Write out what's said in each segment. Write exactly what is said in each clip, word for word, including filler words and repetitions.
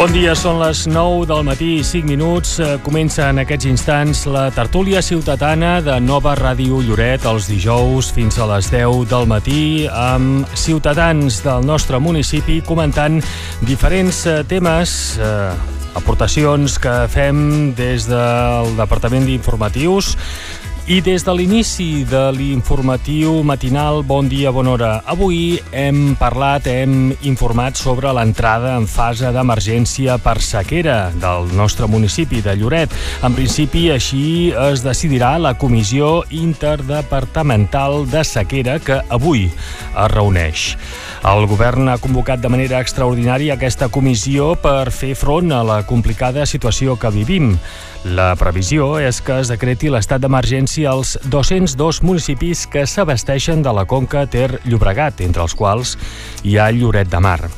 Bon dia, són les nou del matí i cinc minuts. Comença en aquests instants la tertúlia ciutadana de Nova Ràdio Lloret els dijous fins a les deu del matí amb ciutadans del nostre municipi comentant diferents temes, eh, aportacions que fem des del Departament d'Informatius i des de l'inici de l'informatiu matinal Bon Dia, Bona Hora. Avui hem parlat, hem informat sobre l'entrada en fase d'emergència per sequera del nostre municipi de Lloret. En principi, així es decidirà la Comissió Interdepartamental de Sequera que avui es reuneix. El govern ha convocat de manera extraordinària aquesta comissió per fer front a la complicada situació que vivim. La previsió és que es decreti l'estat d'emergència als dos-cents dos municipis que s'abasteixen de la conca Ter-Llobregat, entre els quals hi ha Lloret de Mar.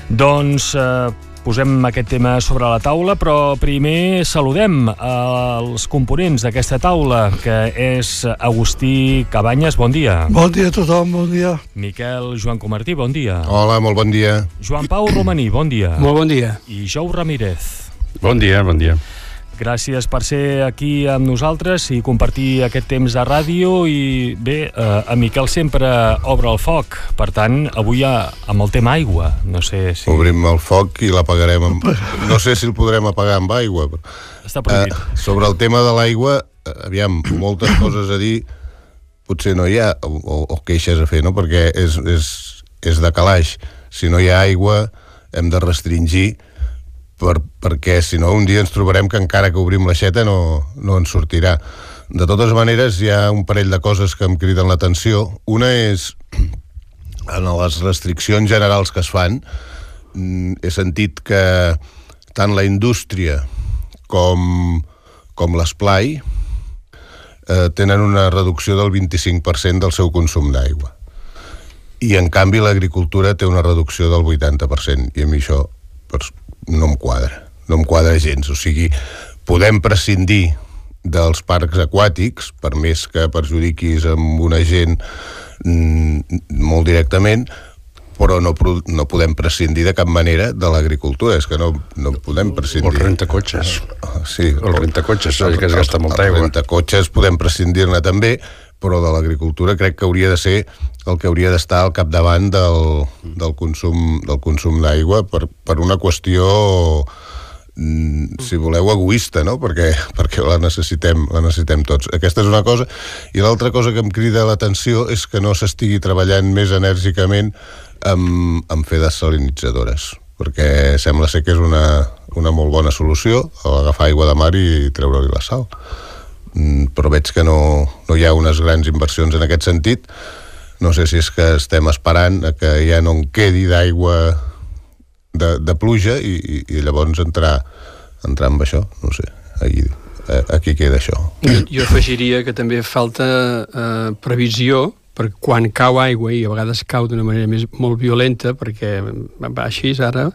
Doncs eh, posem aquest tema sobre la taula, però primer saludem els components d'aquesta taula, que és Agustí Cabanyes, bon dia. Bon dia a tothom, bon dia. Miquel Joan Comartí, bon dia. Hola, molt bon dia. Joan Pau Romaní, bon dia. Molt bon dia. I Jou Ramírez. Bon dia, bon dia. Gràcies per ser aquí amb nosaltres i compartir aquest temps de ràdio. I bé, eh, en Miquel sempre obre el foc, per tant, avui ja amb el tema aigua. No sé si... Obrim el foc i l'apagarem amb... No sé si el podrem apagar amb aigua. Però... Està prohibit. Eh, sobre el tema de l'aigua, aviam, moltes coses a dir, potser no hi ha, o, o queixes a fer, no? Perquè és, és, és de calaix. Si no hi ha aigua, hem de restringir, Per, perquè si no un dia ens trobarem que encara que obrim l'aixeta no, no en sortirà. De totes maneres, hi ha un parell de coses que em criden l'atenció. Una és, en les restriccions generals que es fan, he sentit que tant la indústria com, com l'esplai eh, tenen una reducció del vint-i-cinc per cent del seu consum d'aigua. I en canvi l'agricultura té una reducció del vuitanta per cent, i a mi això pues, no em quadra, no em quadra gens. O sigui, podem prescindir dels parcs aquàtics, per més que perjudiquis amb una gent mm, molt directament, però no, no podem prescindir de cap manera de l'agricultura. És que no, no podem prescindir. O el rentacotxes. Sí, o el rentacotxes, el, que es gasta molta aigua. El rentacotxes podem prescindir-ne també, però de l'agricultura crec que hauria de ser el que hauria d'estar al capdavant del, del consum, del consum d'aigua per, per una qüestió, si voleu, egoista, no? Perquè, perquè la necessitem, la necessitem tots. Aquesta és una cosa. I l'altra cosa que em crida l'atenció és que no s'estigui treballant més enèrgicament amb, amb fer desalinitzadores, perquè sembla ser que és una, una molt bona solució, agafar aigua de mar i treure-li la sal. Però veig que no, no hi ha unes grans inversions en aquest sentit. No sé si és que estem esperant a que ja no en quedi d'aigua de, de pluja i, i, i llavors entrar, entrar amb això, no sé, aquí, aquí queda això. Jo, jo afegiria que també falta eh, previsió, perquè quan cau aigua, i a vegades cau d'una manera més, molt violenta, perquè va així ara,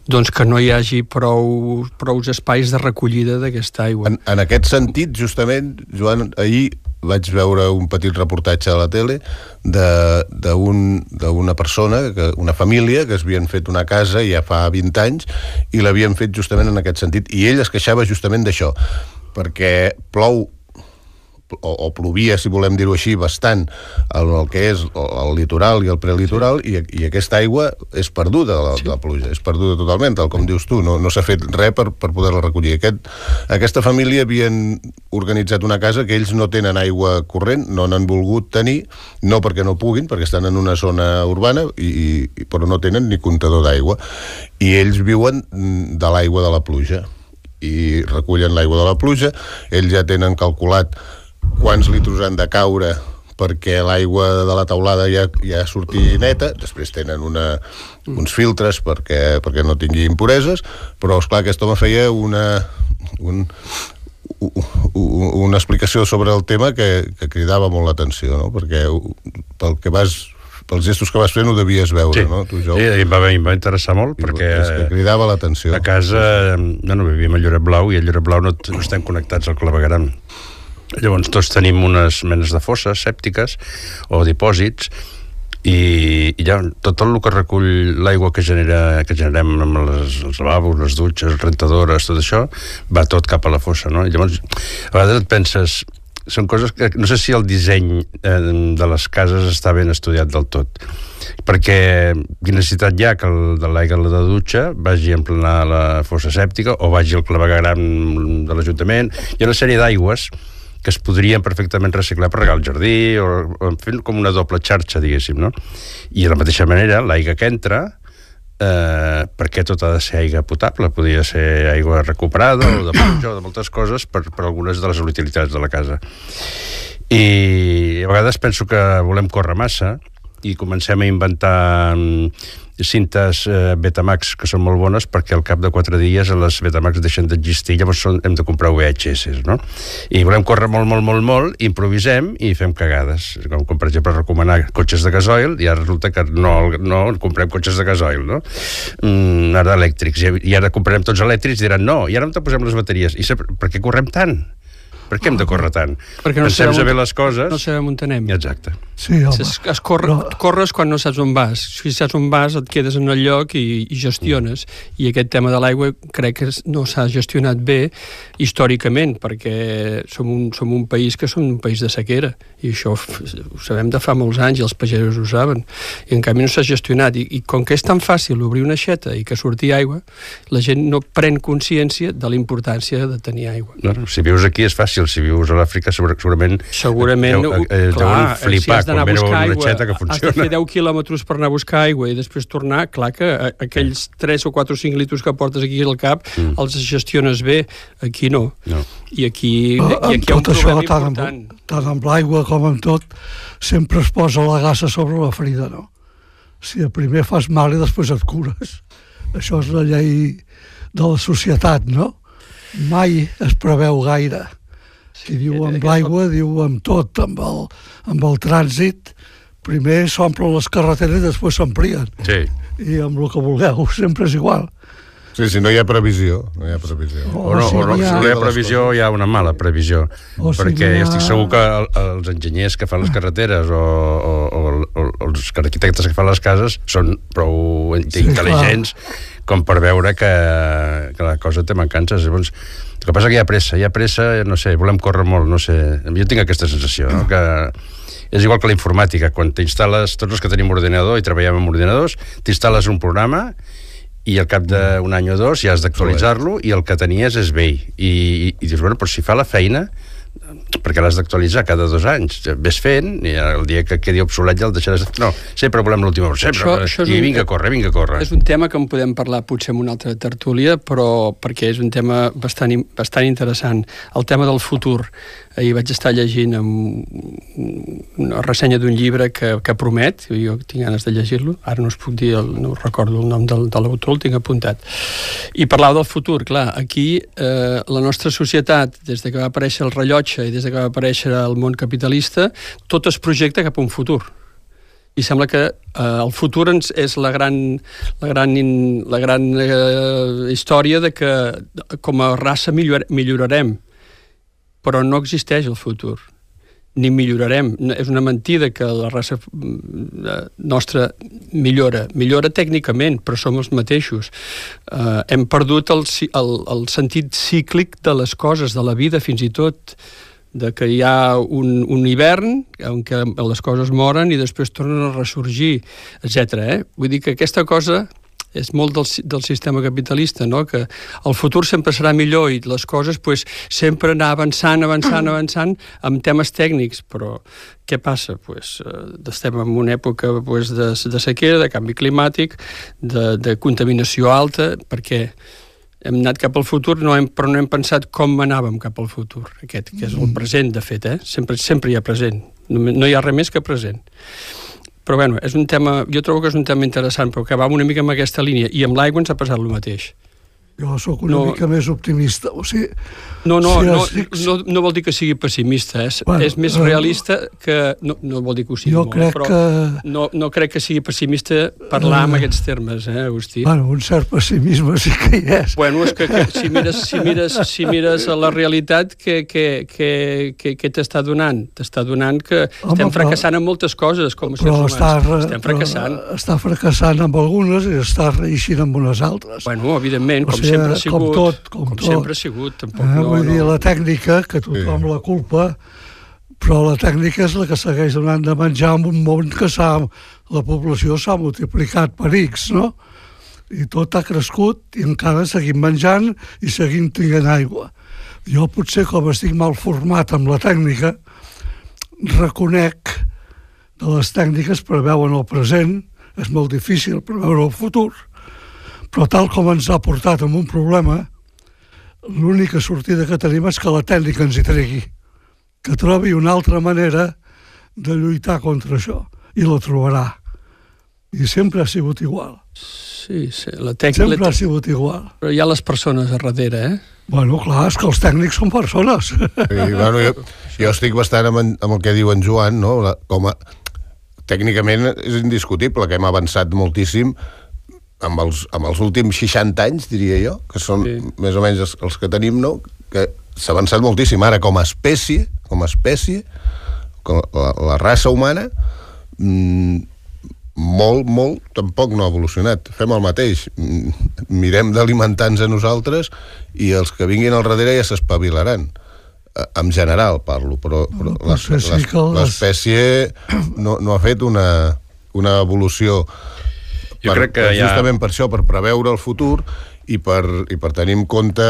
doncs que no hi hagi prou, prou espais de recollida d'aquesta aigua. En, en aquest sentit, justament, Joan, ahir vaig veure un petit reportatge a la tele d'una persona, que, una família, que es havien fet una casa ja fa vint anys i l'havien fet justament en aquest sentit. I ell es queixava justament d'això, perquè plou O, o plovia, si volem dir-ho així, bastant el, el que és el litoral i el prelitoral, sí. i, i aquesta aigua és perduda, la, sí. la pluja, és perduda totalment, tal com dius tu, no, no s'ha fet res per, per poder-la recollir. Aquest, aquesta família havien organitzat una casa que ells no tenen aigua corrent, no n'han volgut tenir, no perquè no puguin, perquè estan en una zona urbana, i, i, però no tenen ni comptador d'aigua, i ells viuen de l'aigua de la pluja, i recullen l'aigua de la pluja, ells ja tenen calculat quants litros han de caure perquè l'aigua de la teulada ja, ja surti neta, després tenen una, uns filtres perquè, perquè no tingui impureses, però esclar, aquest home feia una, un, una explicació sobre el tema que, que cridava molt l'atenció, no? Perquè pel que vas, pels gestos que vas fent ho devies veure, sí. no? Tu, sí, em va, em va interessar molt, I perquè és que cridava l'atenció. A casa, no, no vivíem a Lloret Blau, i a Lloret Blau no, no estem connectats al clavegueram. Llavors tots tenim unes menes de fosses sèptiques o dipòsits, i, i ja tot el que recull l'aigua que genera que generem amb les, els lavabos, les dutxes, rentadores, tot això, va tot cap a la fossa, no? I llavors, a vegades et penses, són coses que no sé si el disseny eh, de les cases està ben estudiat del tot, perquè quina necessitat hi ha que el, de l'aigua de la dutxa vagi a emplenar la fossa sèptica o vagi al clavegueram de l'Ajuntament. Hi ha una sèrie d'aigües que es podrien perfectament reciclar per regar el jardí o, o fent com una doble xarxa, diguéssim, no? I de la mateixa manera, l'aigua que entra, eh, perquè tot ha de ser aigua potable, podria ser aigua recuperada o de pluja o de moltes coses per, per algunes de les utilitats de la casa. I a vegades penso que volem córrer massa i comencem a inventar cintes eh, Betamax que són molt bones perquè al cap de quatre dies les Betamax deixen d'existir, llavors són, hem de comprar V H S, no? I volem córrer molt, molt, molt, molt, improvisem i fem cagades, com, com per exemple recomanar cotxes de gasoil i ara resulta que no, no comprem cotxes de gasoil, no? Mm, ara elèctrics, i ara comprarem tots elèctrics i diran no, i ara on te posem les bateries? I per què correm tant? Per què hem de córrer tant? Perquè no Pensem sabem saber les coses... No sabem on anem. Exacte. Sí, home. Es, es corre, no. Corres quan no saps on vas. Si saps on vas, et quedes en el lloc i, i gestiones. I aquest tema de l'aigua crec que no s'ha gestionat bé històricament, perquè som un, som un país que som un país de sequera. I això ho sabem de fa molts anys i els pagesos ho saben. I en canvi no s'ha gestionat. I, I com que és tan fàcil obrir una aixeta i que surti aigua, la gent no pren consciència de la importància de tenir aigua. No, si vius aquí és fàcil. Si vius a l'Àfrica, segurament... Segurament, deu, eh, clar, flipar, si has d'anar a buscar aigua, que has de fer deu quilòmetres per anar a buscar aigua i després tornar, clar que aquells tres o quatre o cinc litres que portes aquí al cap mm. els gestiones bé, aquí no. no. I aquí, uh, i aquí hi ha un problema això, tant important. Amb, tant amb l'aigua com amb tot, sempre es posa la gassa sobre la ferida, no? Si primer fas mal i després et cures. Això és la llei de la societat, no? Mai es preveu gaire. Si diu amb l'aigua, diu amb tot, amb el, amb el trànsit. Primer s'omplen les carreteres i després s'amplien. Sí. I amb el que vulgueu, sempre és igual. Sí, si no hi ha previsió, no hi ha previsió. O, o no, si o no, si no hi ha previsió, hi ha una mala previsió. O perquè si ha... estic segur que el, els enginyers que fan les carreteres o, o, o, o els arquitectes que fan les cases són prou sí, intel·ligents clar. Com per veure que, que la cosa té mancances. Llavors, el que passa que hi ha pressa, hi ha pressa, no sé, volem córrer molt, no sé. Jo tinc aquesta sensació, no? Que és igual que la informàtica, quan t'instal·les, tots els que tenim ordinador i treballem amb ordinadors, t'instal·les un programa i al cap d'un any o dos ja has d'actualitzar-lo i el que tenies és vell. I, i, i dius, bueno, però si fa la feina, perquè l'has d'actualitzar cada dos anys, ves fent, i el dia que quedi obsolet ja el deixaràs... No, sempre volem l'última hora, sempre, això, això i vinga a córrer, vinga a córrer. És un tema que en podem parlar potser en una altra tertúlia, però perquè és un tema bastant, bastant interessant. El tema del futur. Ahir vaig estar llegint una ressenya d'un llibre que, que promet, jo tinc ganes de llegir-lo, ara no us puc dir, el, no recordo el nom del, de l'autor, el tinc apuntat. I parlava del futur, clar, aquí eh, la nostra societat, des de que va aparèixer el rellotge i des de que va aparèixer el món capitalista, tot es projecta cap a un futur. I sembla que eh, el futur ens és la gran, la gran, la gran eh, història de que com a raça millor, millorarem. Però no existeix el futur, ni millorarem. És una mentida que la raça nostra millora. Millora tècnicament, però som els mateixos. Uh, hem perdut el, el, el sentit cíclic de les coses, de la vida fins i tot, de que hi ha un, un hivern en què les coses moren i després tornen a ressorgir, etcètera. Eh? Vull dir que aquesta cosa és molt del, del sistema capitalista, no? Que el futur sempre serà millor i les coses pues, sempre anar avançant, avançant, avançant amb temes tècnics, però què passa? Pues, eh, estem en una època pues, de, de sequera, de canvi climàtic, de, de contaminació alta, perquè hem anat cap al futur, no hem, però no hem pensat com anàvem cap al futur, aquest, que és el present, de fet, eh? sempre, sempre hi ha present, no, no hi ha res més que present. Però bueno, és un tema, jo trobo que és un tema interessant, però que va una mica en aquesta línia, i amb l'aigua ens ha passat el mateix. Jo sóc una no, mica més optimista. O sigui, no, no, si no, estic... no, no vol dir que sigui pessimista, és, bueno, és més realista que... No, no vol dir que ho sigui jo molt, crec però que... no, no crec que sigui pessimista parlar uh, en aquests termes, eh, Agustí? Bueno, un cert pessimisme sí que hi és. Bueno, és que, que si, mires, si, mires, si mires a la realitat, què que, que, que, que t'està donant? T'està donant que Home, estem fracassant però, en moltes coses, com a sers humans. Està, estem fracassant. Està fracassant amb algunes i està reeixint amb unes altres. Bueno, evidentment, com sempre ha sigut. Com tot, com, com tot. sempre ha sigut. Tampoc, eh, no, vull no. dir, la tècnica, que tothom sí. la culpa, però la tècnica és la que segueix donant de menjar en un món que s'ha, la població s'ha multiplicat per X, no? I tot ha crescut i encara seguim menjant i seguim tinguent aigua. Jo potser, com estic mal format amb la tècnica, reconec que les tècniques preveuen el present, és molt difícil preveure el futur, però tal com ens ha portat amb un problema, l'única sortida que tenim és que la tècnica ens hi tregui, que trobi una altra manera de lluitar contra això, i la trobarà. I sempre ha sigut igual. Sí, sí, la tècnica... Sempre ha sigut igual. Però hi ha les persones a darrere, eh? Bueno, clar, és que els tècnics són persones. Sí, bueno, jo, jo estic bastant amb, amb el que diu en Joan, no? La, com a, tècnicament és indiscutible que hem avançat moltíssim amb els, amb els últims seixanta anys, diria jo, que són sí. més o menys els, els que tenim, no? Que s'ha avançat moltíssim. Ara, com a espècie, com a espècie, com la, la raça humana, mmm, molt, molt, tampoc no ha evolucionat. Fem el mateix. Mirem d'alimentar-nos a nosaltres i els que vinguin al darrere ja s'espavilaran. En general parlo, però, però no, l'espècie no, no ha fet una, una evolució jo per, crec que justament ha... per això, per preveure el futur i per, i per tenir en compte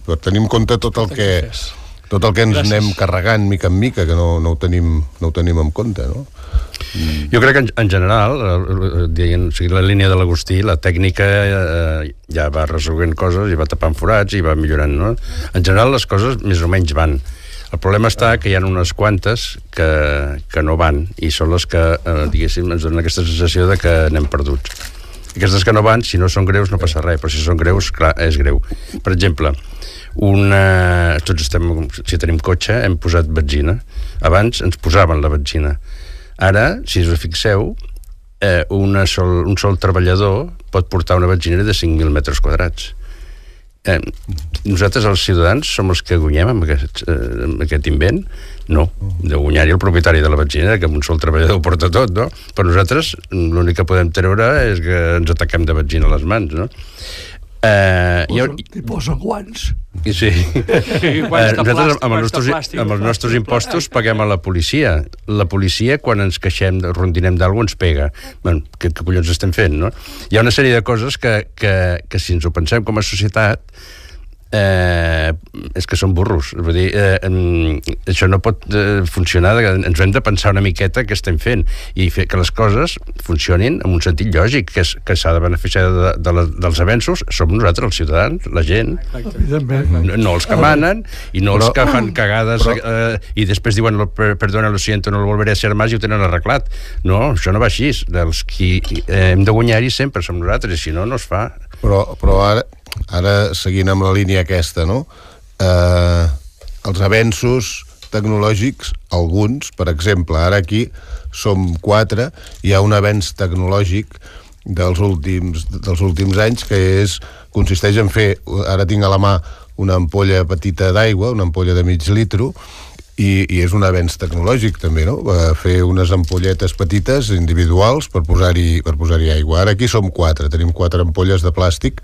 per tenir en compte tot el que tot el que ens Gràcies. anem carregant mica en mica, que no, no, ho, tenim, no ho tenim en compte, no? Mm. Jo crec que en, en general, dient, o sigui, la línia de l'Agustí, la tècnica eh, ja va resolent coses i va tapant forats i va millorant, no? En general les coses més o menys van. El problema està que hi ha unes quantes que, que no van i són les que, eh, diguéssim, ens donen aquesta sensació de que anem perduts. Aquestes que no van, si no són greus no passa res, però si són greus, clar, és greu. Per exemple, una... tots estem, si tenim cotxe, hem posat benzina. Abans ens posaven la benzina. Ara, si us fixeu, eh, una sol, un sol treballador pot portar una benzinera de cinc mil metres quadrats. Eh, nosaltres, els ciutadans, som els que guanyem amb aquest, eh, amb aquest invent? No, de guanyar-hi el propietari de la benzinera, que amb un sol treballador ho porta tot, no? Però nosaltres l'únic que podem treure és que ens ataquem de benzina a les mans, no? Eh, T'hi posen, ha... posen guants. Sí. eh, nosaltres amb els nostres, amb els nostres impostos paguem a la policia. La policia, quan ens queixem, rondinem d'algú, ens pega. Bueno, què, què collons estem fent, no? Hi ha una sèrie de coses que, que, que si ens ho pensem com a societat, eh, és que són burros. Vull dir, eh, això no pot eh, funcionar, ens hem de pensar una miqueta què estem fent i fer que les coses funcionin en un sentit lògic, que, és, que s'ha de beneficiar de, de la, dels avenços, som nosaltres, els ciutadans, la gent, no, no els que manen i no els que fan cagades eh, i després diuen, perdona, lo siento, no lo volveré a hacer más i ho tenen arreglat. No, això no va així. Els qui eh, hem de guanyar-hi sempre som nosaltres, i si no, no es fa. Però, però ara Ara, seguint amb la línia aquesta, no? Eh, els avenços tecnològics, alguns, per exemple, ara aquí som quatre, hi ha un avenç tecnològic dels últims, dels últims anys que és, consisteix en fer, ara tinc a la mà una ampolla petita d'aigua, una ampolla de mig litro, i, i és un avenç tecnològic també, no? Fer unes ampolletes petites individuals per posar-hi per posar-hi aigua. Ara aquí som quatre, tenim quatre ampolles de plàstic.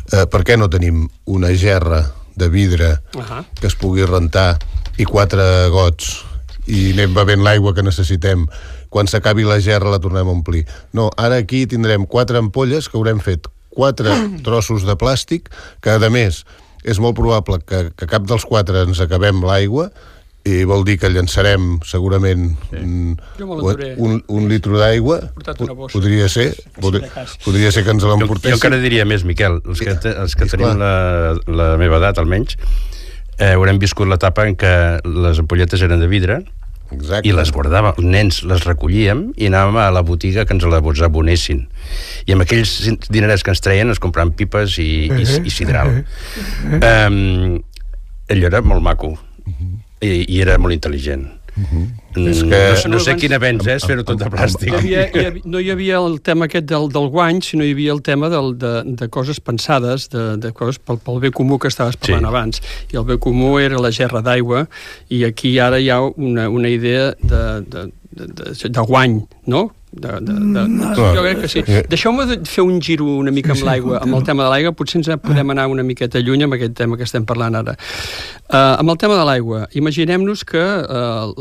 Eh, per què no tenim una gerra de vidre uh-huh. que es pugui rentar i quatre gots i anem bevent l'aigua que necessitem? Quan s'acabi la gerra la tornem a omplir. No, ara aquí tindrem quatre ampolles que haurem fet quatre trossos de plàstic que, a més, és molt probable que, que cap dels quatre ens acabem l'aigua i vol dir que llançarem segurament sí. un, un, un litro d'aigua. Podria ser podria, podria ser que ens l'emportéssim. Jo, jo encara diria més, Miquel, els que, te, els que tenim la, la meva edat almenys, eh, haurem viscut l'etapa en què les ampolletes eren de vidre Exacte. I les guardàvem, els nens les recollíem i anàvem a la botiga que ens les abonessin. I amb aquells dinerets que ens treien ens compraven pipes i, i, i sidral. Um, allò era molt maco. I, i era molt intel·ligent. Uh-huh. Mm, és que... No, no sé quin avenç és fer-ho tot de plàstic. Hi havia, hi havia, no hi havia el tema aquest del, del guany, sinó hi havia el tema del, de, de coses pensades, de, de coses pel, pel bé comú que estaves parlant sí. abans. I el bé comú era la gerra d'aigua, i aquí ara hi ha una, una idea de, de, de, de, de guany, no? De, de, de, de, jo crec que sí. Deixeu-me de fer un giro una mica amb l'aigua, amb el tema de l'aigua, potser ens podem anar una miqueta lluny amb aquest tema que estem parlant ara. Uh, amb el tema de l'aigua, imaginem-nos que uh,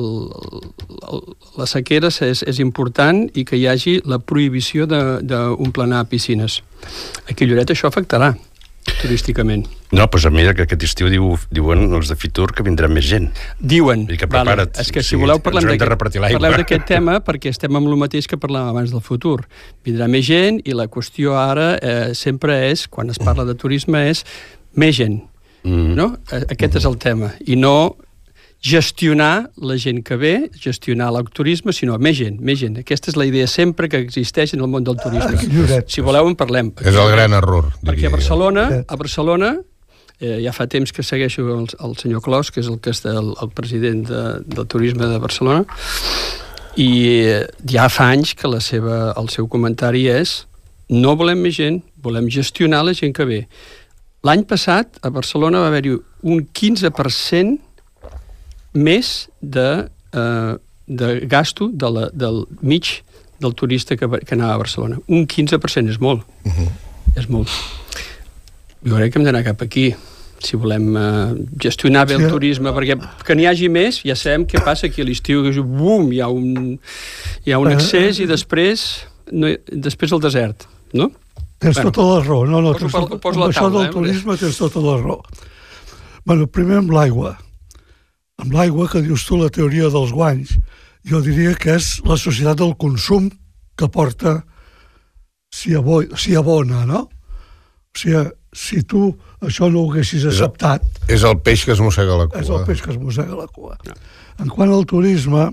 la sequera és, és important i que hi hagi la prohibició d'omplenar piscines. Aquí a Lloret això afectarà turísticament. No, doncs a mi aquest estiu diu, diuen els de Fitur que vindrà més gent. Diuen. I que prepara't. Vale. És que si sí, voleu parlem d'aquest tema perquè estem amb el mateix que parlàvem abans del futur. Vindrà més gent i la qüestió ara eh, sempre és, quan es parla de turisme, és més gent. Mm. No? Aquest és el tema. I no gestionar la gent que ve, gestionar el turisme, sinó més gent, més gent. Aquesta és la idea sempre que existeix en el món del turisme. Si voleu en parlem. És el gran error. Perquè a Barcelona, a Barcelona eh, ja fa temps que segueixo el, el senyor Clos, que és el, que és el, el president de, del turisme de Barcelona, i eh, ja fa anys que la seva, el seu comentari és no volem més gent, volem gestionar la gent que ve. L'any passat a Barcelona va haver-hi un quinze per cent més de, eh, de gasto de la, del mig del turista que, que anava a Barcelona. Un quinze per cent és molt. Uh-huh. És molt. Jo crec que hem d'anar cap aquí, si volem eh, gestionar bé el sí. turisme, perquè que n'hi hagi més, ja sabem què passa aquí a l'estiu, que bum, hi ha un, hi ha un excés i després, no, després el desert, no? Tens bueno, tota la raó. No, no, poso, tens tot, poso amb això taula, del eh? turisme tens tota la raó. Bueno, primer amb l'aigua. Amb l'aigua, que dius tu, la teoria dels guanys, jo diria que és la societat del consum que porta si, abo si abona, no? O sigui, si tu això no ho haguessis acceptat... És el peix que es mossega la cua. És el peix que es mossega la cua. En quant al turisme,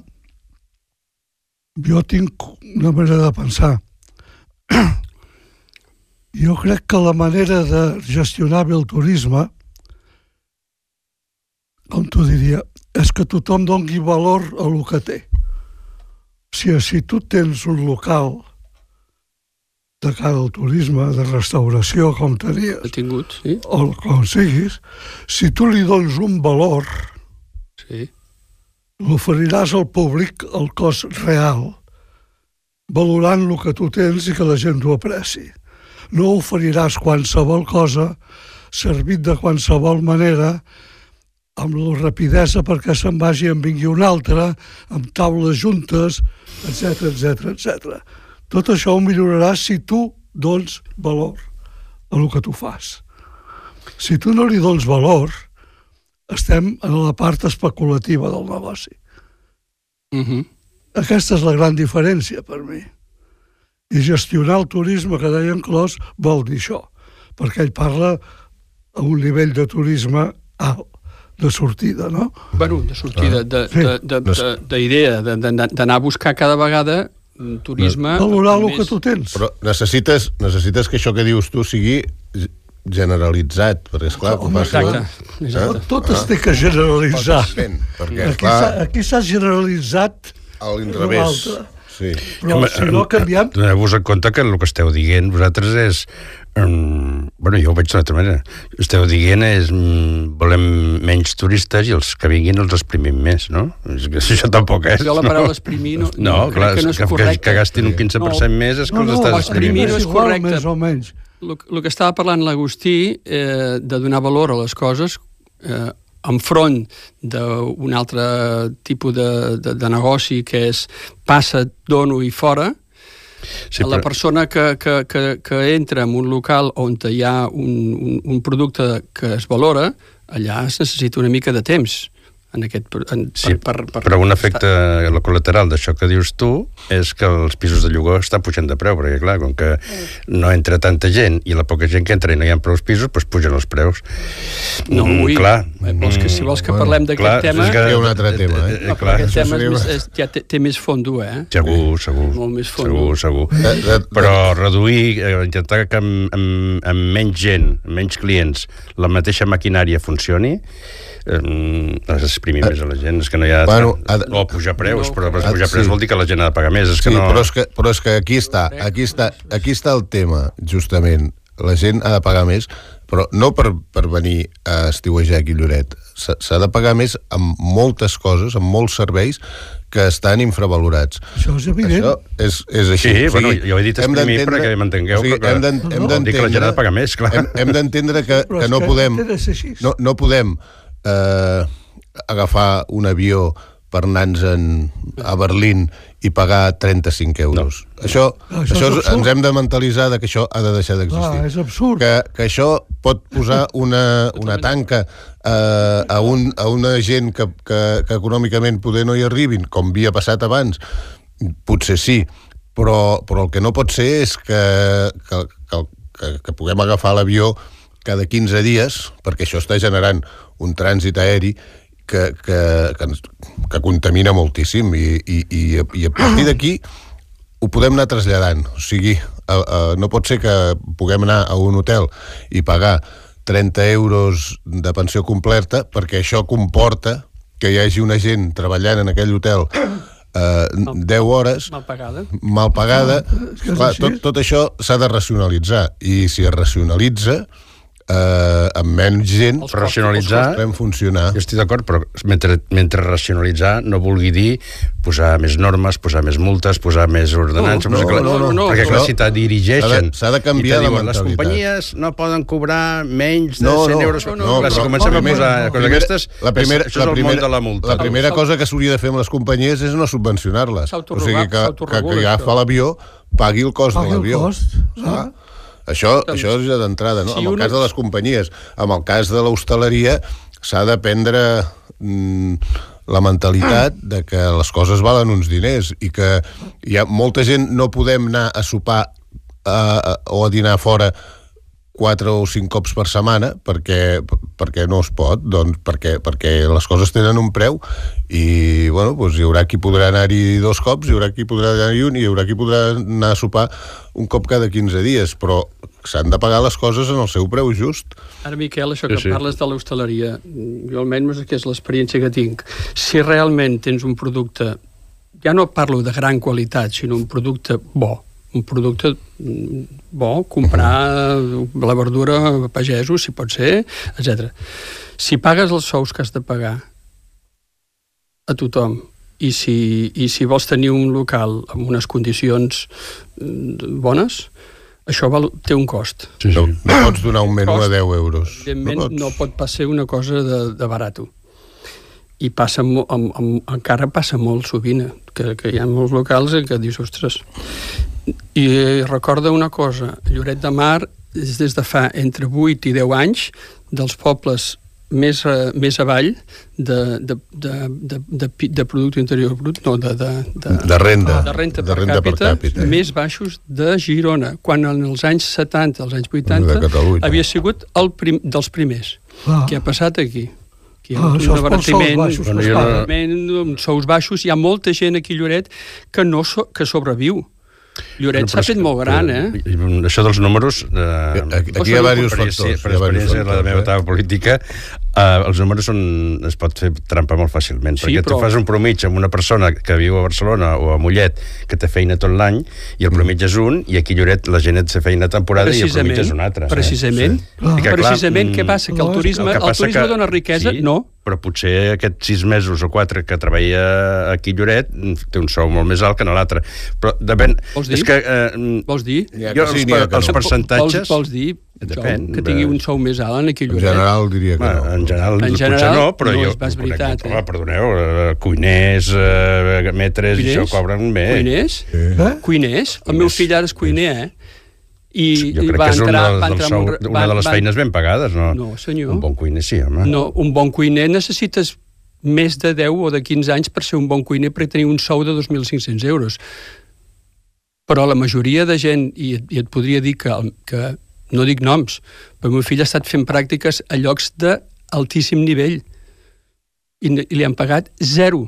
jo tinc una manera de pensar. Jo crec que la manera de gestionar bé el turisme, com t'ho diria, és que tothom doni valor a lo que té. O sigui, si tu tens un local de cara al turisme, de restauració, com tenies, tingut, sí. o com siguis, si tu li dones un valor, sí. l'oferiràs al públic el cost real, valorant el que tu tens i que la gent t'ho apreci. No oferiràs qualsevol cosa, servit de qualsevol manera, amb la rapidesa perquè se'n vagi en vingui un altre, amb taules juntes, etcètera, etcètera, etcètera. Tot això ho milloraràs si tu dones valor a el que tu fas. Si tu no li dones valor, estem en la part especulativa del negoci. Uh-huh. Aquesta és la gran diferència per mi. I gestionar el turisme, que deia en Clos, vol dir això, perquè ell parla a un nivell de turisme alt, de sortida, no? Bueno, de sortida, d'idea, d'anar a buscar cada vegada turisme... Valorar el que tu tens. Però necessites, necessites que això que dius tu sigui generalitzat, perquè esclar... No, exacte, exacte. Tot es té que generalitzar. Perquè, aquí s'ha generalitzat a l'inrevés. Sí. Però si no canviem... Doneu-vos en compte que el que esteu dient vosaltres és... Um, bueno, jo ho veig d'una altra manera. Esteu dient és um, volem menys turistes i els que vinguin els exprimim més, no? És que això tampoc és. Jo la paraula exprimir no, no, no clar, que no és que, correcte. Que, que gastin un quinze per cent no. més és que no, els estàs no, exprimint. No, no és correcte. Més o menys. El, el que estava parlant l'Agustí, eh, de donar valor a les coses, eh, enfront d'un altre tipus de, de, de negoci que és passa, dono i fora. Sí, però... La persona que, que, que, que entra en un local on hi ha un, un, un producte que es valora, allà es necessita una mica de temps. en aquest... En, sí, per, per, per, però un efecte col·lateral d'això que dius tu és que els pisos de lloguer estan pujant de preu, perquè clar, com que no entra tanta gent i la poca gent que entra i no hi ha prou pisos, doncs pugen els preus. No, mm, ui, clar. Vols que, si vols que parlem Bueno, d'aquest tema... Hi ha un altre tema, eh? No, clar, aquest tema seria... és més, és, ja té, té més fondo, eh? Segur, segur. Molt més fondo. Segur, segur. De, de, Però reduir, eh, intentar que amb, amb, amb menys gent, amb menys clients, la mateixa maquinària funcioni, eh, has d'exprimir més a la gent. És que no hi ha... Bueno, ha de... O pujar preus, No, però ha- pujar preus sí. vol dir que la gent ha de pagar més. És Sí, que no... però, és que, però és que aquí està, aquí està, aquí està el tema, justament. La gent ha de pagar més, però no per, per venir a estiuejar aquí a Lloret. S'ha s'ha de pagar més amb moltes coses, amb molts serveis que estan infravalorats. Això és evident. Això és, és així. Sí, bueno, jo he dit hem exprimir d'entendre- perquè m'entengueu, o sigui, però que- hem d'en- No, hem no, vol dir que la gent ha de pagar més, clar. Hem, hem d'entendre que, Però que és no que podem... té de ser així. No, no podem eh, agafar un avió per anar-nos a Berlín i pagar trenta-cinc euros. No. Això, No, això, això és és, absurd. ens hem de mentalitzar de que això ha de deixar d'existir. Clar, és absurd. Que, que això pot posar una, una tanca eh, a, un, a una gent que, que, que econòmicament poder no hi arribin, com havia passat abans. Potser sí, però, però el que no pot ser és que, que, que, que, que puguem agafar l'avió cada quinze dies, perquè això està generant un trànsit aeri que, que, que, que contamina moltíssim i, i, i, i a partir d'aquí ho podem anar traslladant. O sigui, a, a, no pot ser que puguem anar a un hotel i pagar trenta euros de pensió completa perquè això comporta que hi hagi una gent treballant en aquell hotel eh, deu hores Mal pagada. mal pagada. és que és Clar, així. tot, tot això s'ha de racionalitzar i si es racionalitza eh, amb menys gent Els Per racionalitzar, podem funcionar. jo estic d'acord, però mentre, mentre racionalitzar no vulgui dir posar més normes, posar més multes, posar més ordenances... No, perquè, no, no, no. perquè clar, Això si te dirigeixen s'ha de- s'ha de canviar i te la diuen, les mentalitat. companyies no poden cobrar menys de No, cent no, euros... no, No, clar, si però- comencem a primer- posar no, coses primer- d'aquestes, la primera, això és la el primera, món de la multa. La primera cosa que s'hauria de fer amb les companyies és no subvencionar-les. O sigui, que, que, s'autoregula, que agafa això. l'avió, pagui el cost Pagui de el l'avió. cost, Ah. Això, això és ja d'entrada, no? Si En el una- cas de les companyies. En el cas de l'hostaleria s'ha de prendre mm, la mentalitat de que les coses valen uns diners i que hi ha molta gent no podem anar a sopar a, a, o a dinar fora quatre o cinc cops per setmana perquè, perquè no es pot, doncs perquè, perquè les coses tenen un preu i bueno, doncs hi haurà qui podrà anar-hi dos cops, hi haurà qui podrà anar-hi un i hi haurà qui podrà anar a sopar un cop cada quinze dies, però s'han de pagar les coses en el seu preu just. Ara, Miquel, això que Sí, sí. parles de l'hostaleria, jo almenys que és l'experiència que tinc, si realment tens un producte, ja no parlo de gran qualitat, sinó un producte bo, un producte bo, comprar la verdura a pagesos, si pot ser, etcètera. Si pagues els sous que has de pagar a tothom i si, i si vols tenir un local amb unes condicions bones, això val, té un cost. Sí, No, sí. no pots donar un menú Cost, a deu euros. Evidentment, No no, pots. pot pas ser una cosa de, de barato. I passa, mo- amb, amb, encara passa molt sovint, eh, que, que hi ha molts locals en què dius, ostres... I recorda una cosa, Lloret de Mar és des de fa entre vuit i deu anys dels pobles més, a, més avall de, de, de, de, de, pi- de producte interior brut, no, de, de, de, De renda. de renta, de per, renda càpita, per càpita. més baixos de Girona, quan en els anys setanta, els anys vuitanta, De Catalunya. havia sigut el prim, dels primers. Clar. Què ha passat aquí? Aquí hi ha Ah, un això és pels abaratiment, sous baixos un que es paguen. abaratiment, uns sous baixos. Hi ha molta gent aquí a Lloret que, no so, que sobreviu. Lloret Però s'ha és fet que, molt gran, eh? eh? Això dels números... Eh, Aquí hi ha diversos per factors. experiència- Per hi ha diversos experiència de la factors, meva eh? etapa política, eh, els números són, es pot fer trampa molt fàcilment, Sí, perquè però- tu fas un promig amb una persona que viu a Barcelona o a Mollet, que té feina tot l'any, i el promig és un, i aquí a Lloret la gent et té feina a temporada i el promig és un altre. Precisament. Sí. Clar. I que, clar, Precisament, mm, què passa? Que el no, és turisme, que el passa turisme que- dona riquesa? sí, No. però potser aquests sis mesos o quatre que treballa aquí a Lloret té un sou molt més alt que en l'altre. Però depèn... Vols dir? És que... Eh, Vols dir? N'hi ha jo, que sí, els, n'hi ha per- que els no. percentatges... Vols, vols dir Depèn, que tingui de- un sou més alt en aquí a En Lloret? general diria que Bueno, no. en general, En potser general, no, però no jo... és pas veritat, Home, eh? perdoneu, eh, cuiners, eh, metres, i això cobren bé. Cuiners? Eh? Cuiners? El meu fill ara és cuiner, eh? I, Jo i crec va que és una, entrar, del, va del entrar sou, en un- una va- de les va- feines ben pagades, no? No, senyor. Un bon cuiner sí, home. No, un bon cuiner necessites més de deu o de quinze anys per ser un bon cuiner, per tenir un sou de dos mil cinc-cents euros. Però la majoria de gent, i, i et podria dir que, que no dic noms, però el meu fill ha estat fent pràctiques a llocs d'altíssim nivell i, i li han pagat zero.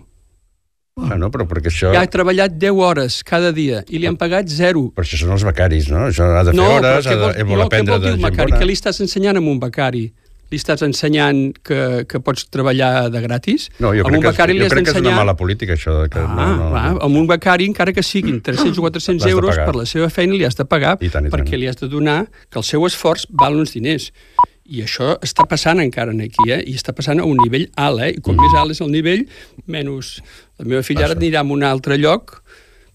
Ah, no, però perquè això... Ja ha treballat deu hores cada dia i li han pagat zero. Per això són els becaris, no? Això ha de fer no, hores, ha de vol, vol no, aprendre de gent bona. Què li estàs ensenyant amb un becari? Li estàs ensenyant que, que pots treballar de gratis? No, jo crec, que, jo crec que és una mala política, això. De que ah, no, no, va, amb un becari, encara que siguin tres-cents o quatre-cents euros per la seva feina, li has de pagar, I tant, i tant. perquè li has de donar que el seu esforç val uns diners. I això està passant encara aquí, eh? I està passant a un nivell alt, eh? I com mm. més alt és el nivell, menys... La meva filla ara anirà a un altre lloc,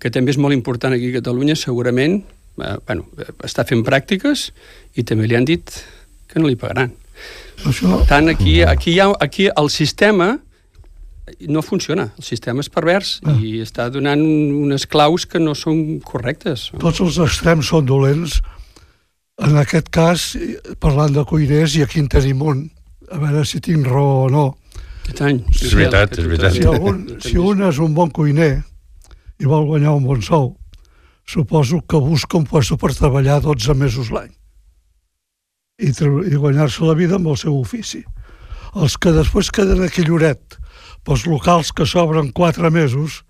que també és molt important aquí a Catalunya, segurament, eh, bueno, està fent pràctiques, i també li han dit que no li pagaran. Això... Per tant, aquí, aquí, hi ha, aquí el sistema no funciona, el sistema és pervers ah. i està donant unes claus que no són correctes. Tots els extrems són dolents. En aquest cas, parlant de cuiners, i aquí en tenim un, a veure si tinc raó o no. Aquest any. Sí, és veritat, és veritat. Si, algun, si un és un bon cuiner i vol guanyar un bon sou, suposo que busca un puesto per treballar dotze mesos l'any i, i guanyar-se la vida amb el seu ofici. Els que després queden aquí Lloret, pels locals que s'obren quatre mesos,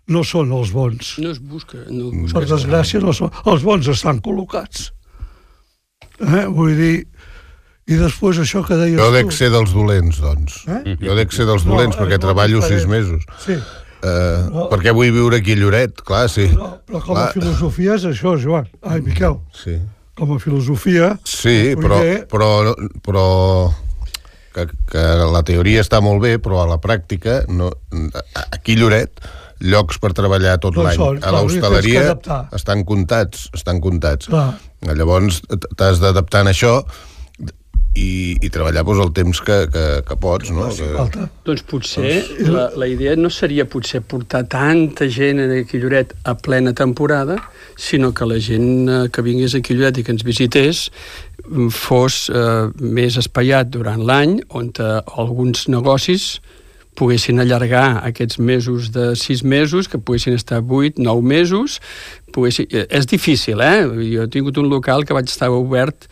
no són els bons. No es busca. No busca. Per desgràcia, no són. Els bons estan col·locats. Eh? Vull dir... I després això que deies tu... Jo dec ser dels dolents, doncs. Eh? Jo dec ser dels dolents, no, perquè no treballo sis mesos. Sí. Uh, no. Perquè vull viure aquí a Lloret, clar, sí. No, però com a clar. Filosofia és això, Joan. Ai, Miquel. Sí. Com a filosofia... Sí, però, però, però que, que la teoria està molt bé, però a la pràctica, no, aquí a Lloret, llocs per treballar tot doncs l'any. A l'hostaleria estan comptats, estan comptats. Clar. Llavors t'has d'adaptar a això i, i treballar doncs, el temps que, que, que pots, no? Que... Doncs potser la, la idea no seria potser portar tanta gent aquí a Lloret a plena temporada, sinó que la gent que vingués aquí a Lloret i que ens visités fos eh, més espaiat durant l'any, on eh, alguns negocis poguessin allargar aquests mesos de sis mesos, que poguessin estar vuit, nou mesos. Poguessin... És difícil, eh? Jo he tingut un local que vaig estar obert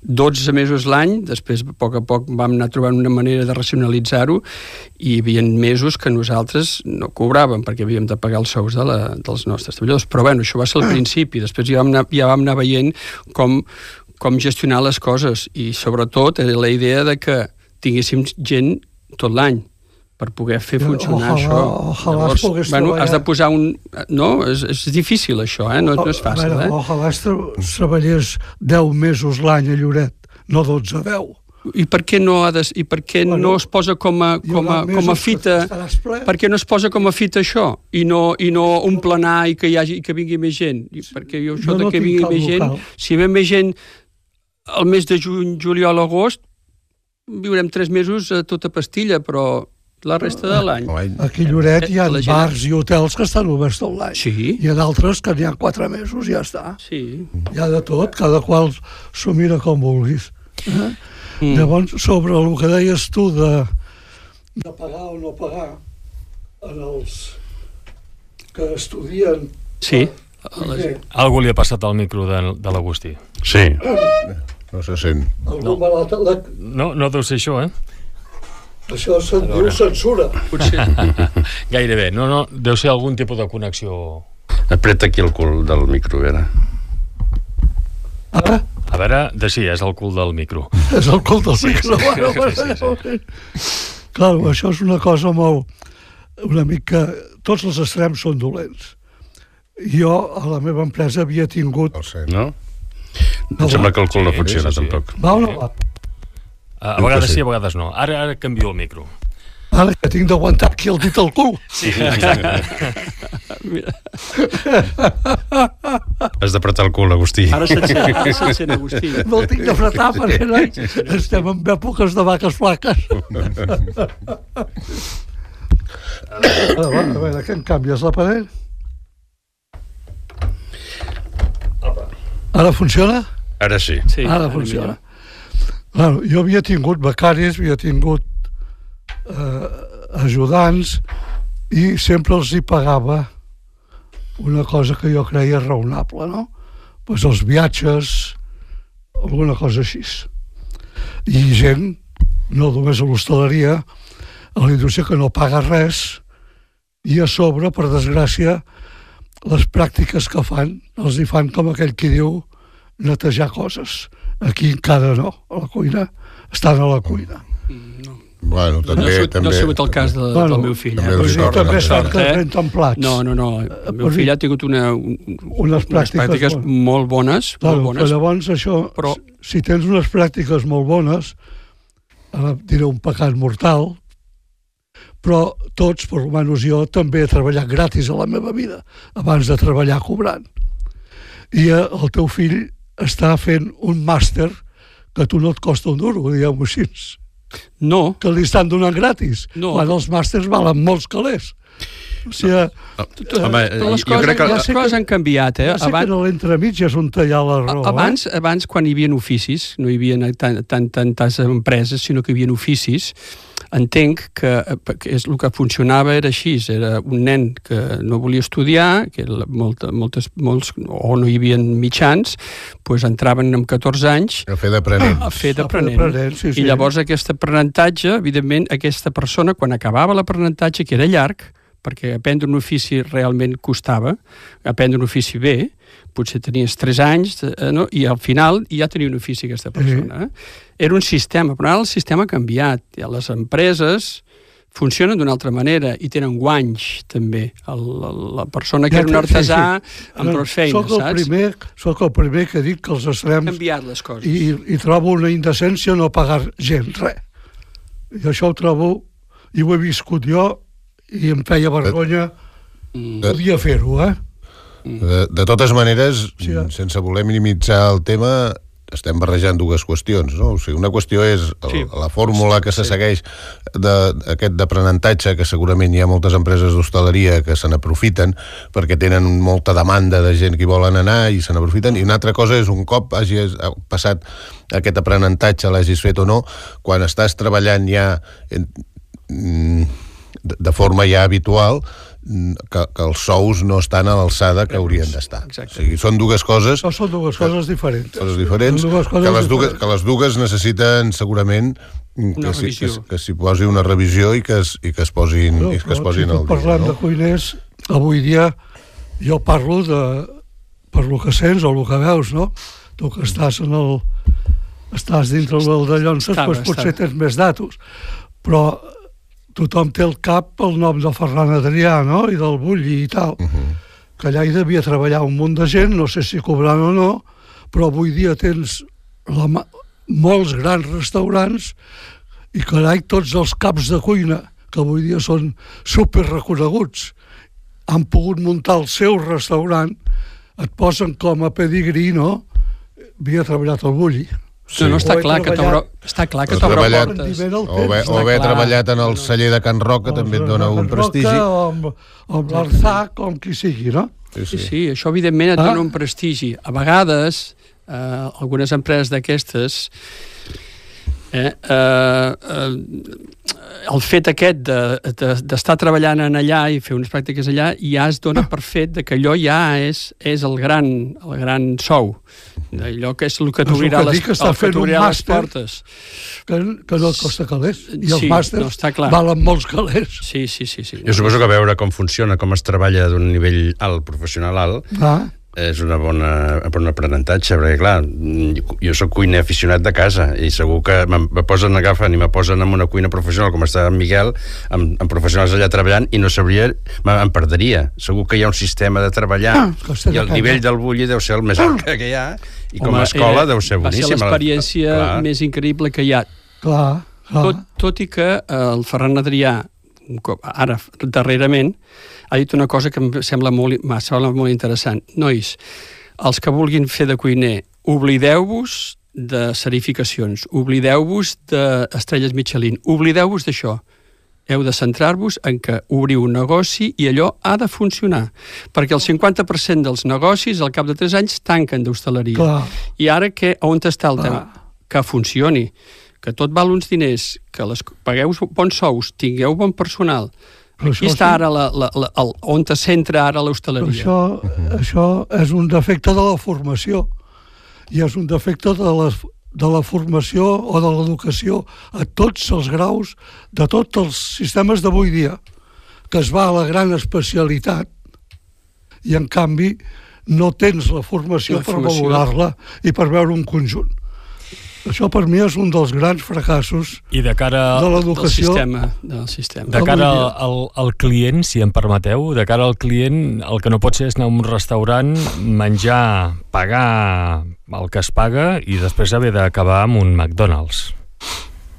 dotze mesos l'any, després a poc a poc vam anar trobant una manera de racionalitzar-ho i hi havia mesos que nosaltres no cobràvem perquè havíem de pagar els sous de la, dels nostres treballadors. Però bueno, això va ser al principi, després ja vam anar, ja vam anar veient com, com gestionar les coses i sobretot la idea de que tinguéssim gent tot l'any per poder fer funcionar ojalà, això. Ojalà Llavors, bueno, has de posar un... No, és, és difícil això, eh? No, no és fàcil, veure, eh? Ojalà treballés deu mesos l'any a Lloret, no dotze, deu. I per què no, ha de, i per què bueno, no es posa com a, com a, com a fita... Per què no es posa com a fita això? I no, i no un planar i que, hi hagi, i que vingui més gent? I perquè jo això jo no de que vingui més gent... Local. Si ve més gent el mes de juny, juliol, agost, viurem tres mesos a tota pastilla, però... la resta de l'any. Aquí a Lloret hi ha bars i hotels que estan oberts tot l'any. Sí. Hi ha d'altres que n'hi ha quatre mesos i ja està. Sí. Hi ha de tot, cada qual s'ho mira com vulguis. Eh? Mm. Llavors, sobre el que deies tu de, de pagar o no pagar en els que estudien... Sí. Les... Algú li ha passat al micro de, de l'Agustí. Sí. No se sent. No. La... no, no deu ser això, eh? Això se'n diu censura. Potser. Gairebé. No, no, deu ser algun tipus de connexió. Apreta aquí el cul del micro, a veure. Ara? A veure, de sí, és el cul del micro. És el cul del sí, micro. Sí, bueno, sí, sí, sí, sí. Clar, això és una cosa molt... Una mica... Tots els extrems són dolents. Jo, a la meva empresa, havia tingut... No? Em sembla que el cul no funciona, sí, sí, tampoc. Va o no va? A vegades sí, a vegades no. Ara, ara canvio el micro. Ara que tinc d'aguantar aquí el dit al cul. Sí, exacte. Has d'apretar el cul, Agustí. Ara se't sent, ara se't sent, Agustí. No el tinc d'apretar perquè no, estem en èpoques de vaques flaques. Ara, va, a veure, què em canvies l'aparell? Ara funciona? Ara sí. Sí, ara funciona. Bueno, jo havia tingut becaris, havia tingut eh, ajudants, i sempre els hi pagava una cosa que jo creia raonable, no? Pues els viatges, alguna cosa així. I gent, no només a l'hostaleria, a la indústria que no paga res, i a sobre, per desgràcia, les pràctiques que fan, els hi fan com aquell qui diu netejar coses. Aquí encara no, a la cuina, estan a la cuina. No. Bueno, també, no, ha sigut, també, no ha sigut el cas de, bueno, del meu fill. també Eh? els Però hi també estan eh? que renten plats. No, no, no. El meu fill ha tingut una, un, unes pràctiques, unes pràctiques bon. molt bones. Claro, molt bones. llavors això, però... si tens unes pràctiques molt bones, ara diré un pecat mortal, però tots, per almenys jo, també he treballat gratis a la meva vida, abans de treballar cobrant. I el teu fill està fent un màster que a tu no et costa un duro, diguem-ho així. No. Que li estan donant gratis, no. Quan els màsters valen molts calés. O sigui, no. Home, però les coses, crec que... les coses han canviat, eh? Ja sé abans, que a l'entremig és on hi ha la raó. Abans, eh? abans, quan hi havia oficis, no hi havia tant, tant, tantes empreses, sinó que hi havia oficis, entenc que, que és, el que funcionava era així, era un nen que no volia estudiar, que molta, moltes, molts, o no hi havia mitjans, doncs entraven amb catorze anys a fer d'aprenent. A fer d'aprenent. Sí, sí. I llavors aquest aprenentatge, evidentment, aquesta persona, quan acabava l'aprenentatge, que era llarg, perquè aprendre un ofici realment costava, aprendre un ofici bé, potser tenies tres anys, eh, no? I al final ja tenia un ofici aquesta persona. Eh? Era un sistema, però ara el sistema ha canviat. Ja les empreses funcionen d'una altra manera i tenen guanys, també. El, la persona que ja, era un artesà sí, sí. amb prou feines, soc el saps? Primer, soc el primer que dic que els extrems... Han canviat les coses. I, i trobo una indecència no pagar gent, res. I això ho trobo, i ho he viscut jo, i em feia vergonya mm. podia fer-ho, eh? De, de totes maneres, sí, eh? sense voler minimitzar el tema, estem barrejant dues qüestions, no? O sigui, una qüestió és el, sí. la fórmula que se sí. segueix d'aquest d'aprenentatge, que segurament hi ha moltes empreses d'hostaleria que se n'aprofiten perquè tenen molta demanda de gent que hi volen anar i se n'aprofiten, i una altra cosa és un cop hagis passat aquest aprenentatge, l'hagis fet o no, quan estàs treballant ja en, de forma ja habitual, que, que els sous no estan a l'alçada que haurien d'estar. O sigui, són dues coses... No, són dues coses diferents. Coses diferents, dues coses que, les dues, que les dues necessiten segurament que s'hi que, que s'hi posi una revisió i que es, i que es posin, no, i que es posin si al dia. Parlant no? de cuiners, avui dia jo parlo de per lo que sents o el que veus, no? Tu que estàs en el... estàs dintre del de Llonses, doncs potser tens més datos. Però tothom té al cap el nom de Ferran Adrià, no? I del Bulli i tal. Uh -huh. Que allà hi devia treballar un munt de gent, no sé si cobrant o no, però avui dia tens la, molts grans restaurants i, carai, tots els caps de cuina, que avui dia són superreconeguts, han pogut muntar el seu restaurant, et posen com a pedigrí, no? Havia treballat al Bulli. Sí. No, no, està clar, que està clar que t'obre portes. O haver, o haver treballat en el celler de Can Roca també et dona un prestigi. O amb, amb l'Arzac, o amb qui sigui, no? Sí, sí, sí, això evidentment et dona ah. un prestigi. A vegades, eh, algunes empreses d'aquestes, eh, eh, eh, el fet aquest d'estar de, de, treballant en allà i fer unes pràctiques allà ja es dona per fet de que allò ja és, és el, gran, el gran sou. Allò que és el que t'obrirà les, les portes. Que, que no et costa calés. I els sí, màsters no, valen molts calés. Sí, sí, sí, sí. Jo suposo que veure com funciona, com es treballa d'un nivell alt, professional alt, ah. és una bona, bon aprenentatge, perquè clar, jo soc cuiner aficionat de casa i segur que me posen, agafen i me posen en una cuina professional com està en Miguel, amb, amb professionals allà treballant i no sabria, em perdria. Segur que hi ha un sistema de treballar ah, i el nivell del Bulli deu ser el més alt que hi ha i com a escola era, deu ser boníssim. Va ser l'experiència clar. més increïble que hi ha. Clar, clar. Tot, tot i que el Ferran Adrià, ara, darrerament, ha dit una cosa que em sembla molt, em sembla molt interessant. Nois, els que vulguin fer de cuiner, oblideu-vos de certificacions, oblideu-vos d'estrelles Michelin, oblideu-vos d'això. Heu de centrar-vos en que obriu un negoci i allò ha de funcionar. Perquè el cinquanta per cent dels negocis al cap de tres anys tanquen d'hostaleria. I ara, que, on està el tema? Que funcioni. que tot val uns diners, que les, pagueu bons sous, tingueu bon personal, aquí està ara la, la, la, el, on es centra ara l'hostaleria. Això, això és un defecte de la formació i és un defecte de la, de la formació o de l'educació a tots els graus de tots els sistemes d'avui dia, que es va a la gran especialitat i en canvi no tens la formació, la formació. per valorar-la i per veure un conjunt. Això per mi és un dels grans fracassos I de cara de l'educació. Del sistema, del sistema. De cara al, al, al client, si em permeteu, de cara al client, el que no pot ser és anar a un restaurant, menjar, pagar el que es paga i després haver d'acabar amb un McDonald's.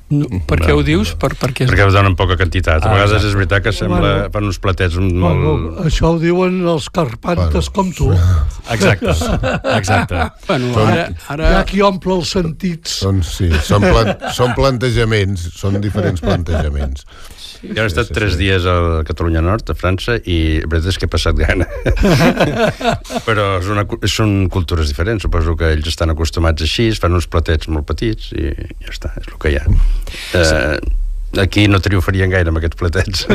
No, per què ho dius? Per, perquè... perquè ho donen poca quantitat. A vegades és veritat que sembla, bueno, fan uns platets molt... Bueno, això ho diuen els carpantes bueno. com tu. Exacte, exacte. Bueno, Són, ara, ara... Hi ha qui omple els sentits. Són, sí, són, plan, són plantejaments, són diferents plantejaments. Sí, jo he estat sí, sí, tres sí. dies a Catalunya Nord, a França, i la veritat és que he passat gana. Però és una, són cultures diferents, suposo que ells estan acostumats així, es fan uns platets molt petits i ja està, és el que hi ha. Eh, aquí no triomfarien gaire amb aquests platets.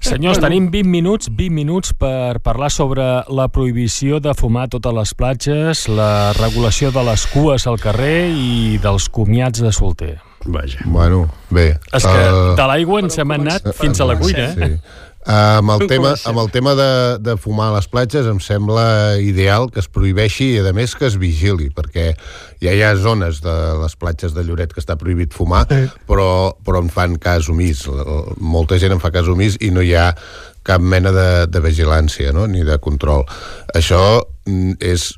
Senyors, tenim vint minuts, vint minuts per parlar sobre la prohibició de fumar a totes les platges, la regulació de les cues al carrer i dels comiats de solter. Vaja. Bueno, bé. És que uh, de l'aigua ens hem anat uh, fins a la cuina, eh? Sí. Uh, amb, el tema, amb el tema de, de fumar a les platges em sembla ideal que es prohibeixi i a més que es vigili, perquè ja hi ha zones de les platges de Lloret que està prohibit fumar, sí. però, però en fan cas omís. Molta gent en fa cas omís i no hi ha cap mena de, de vigilància, no? Ni de control. Això és...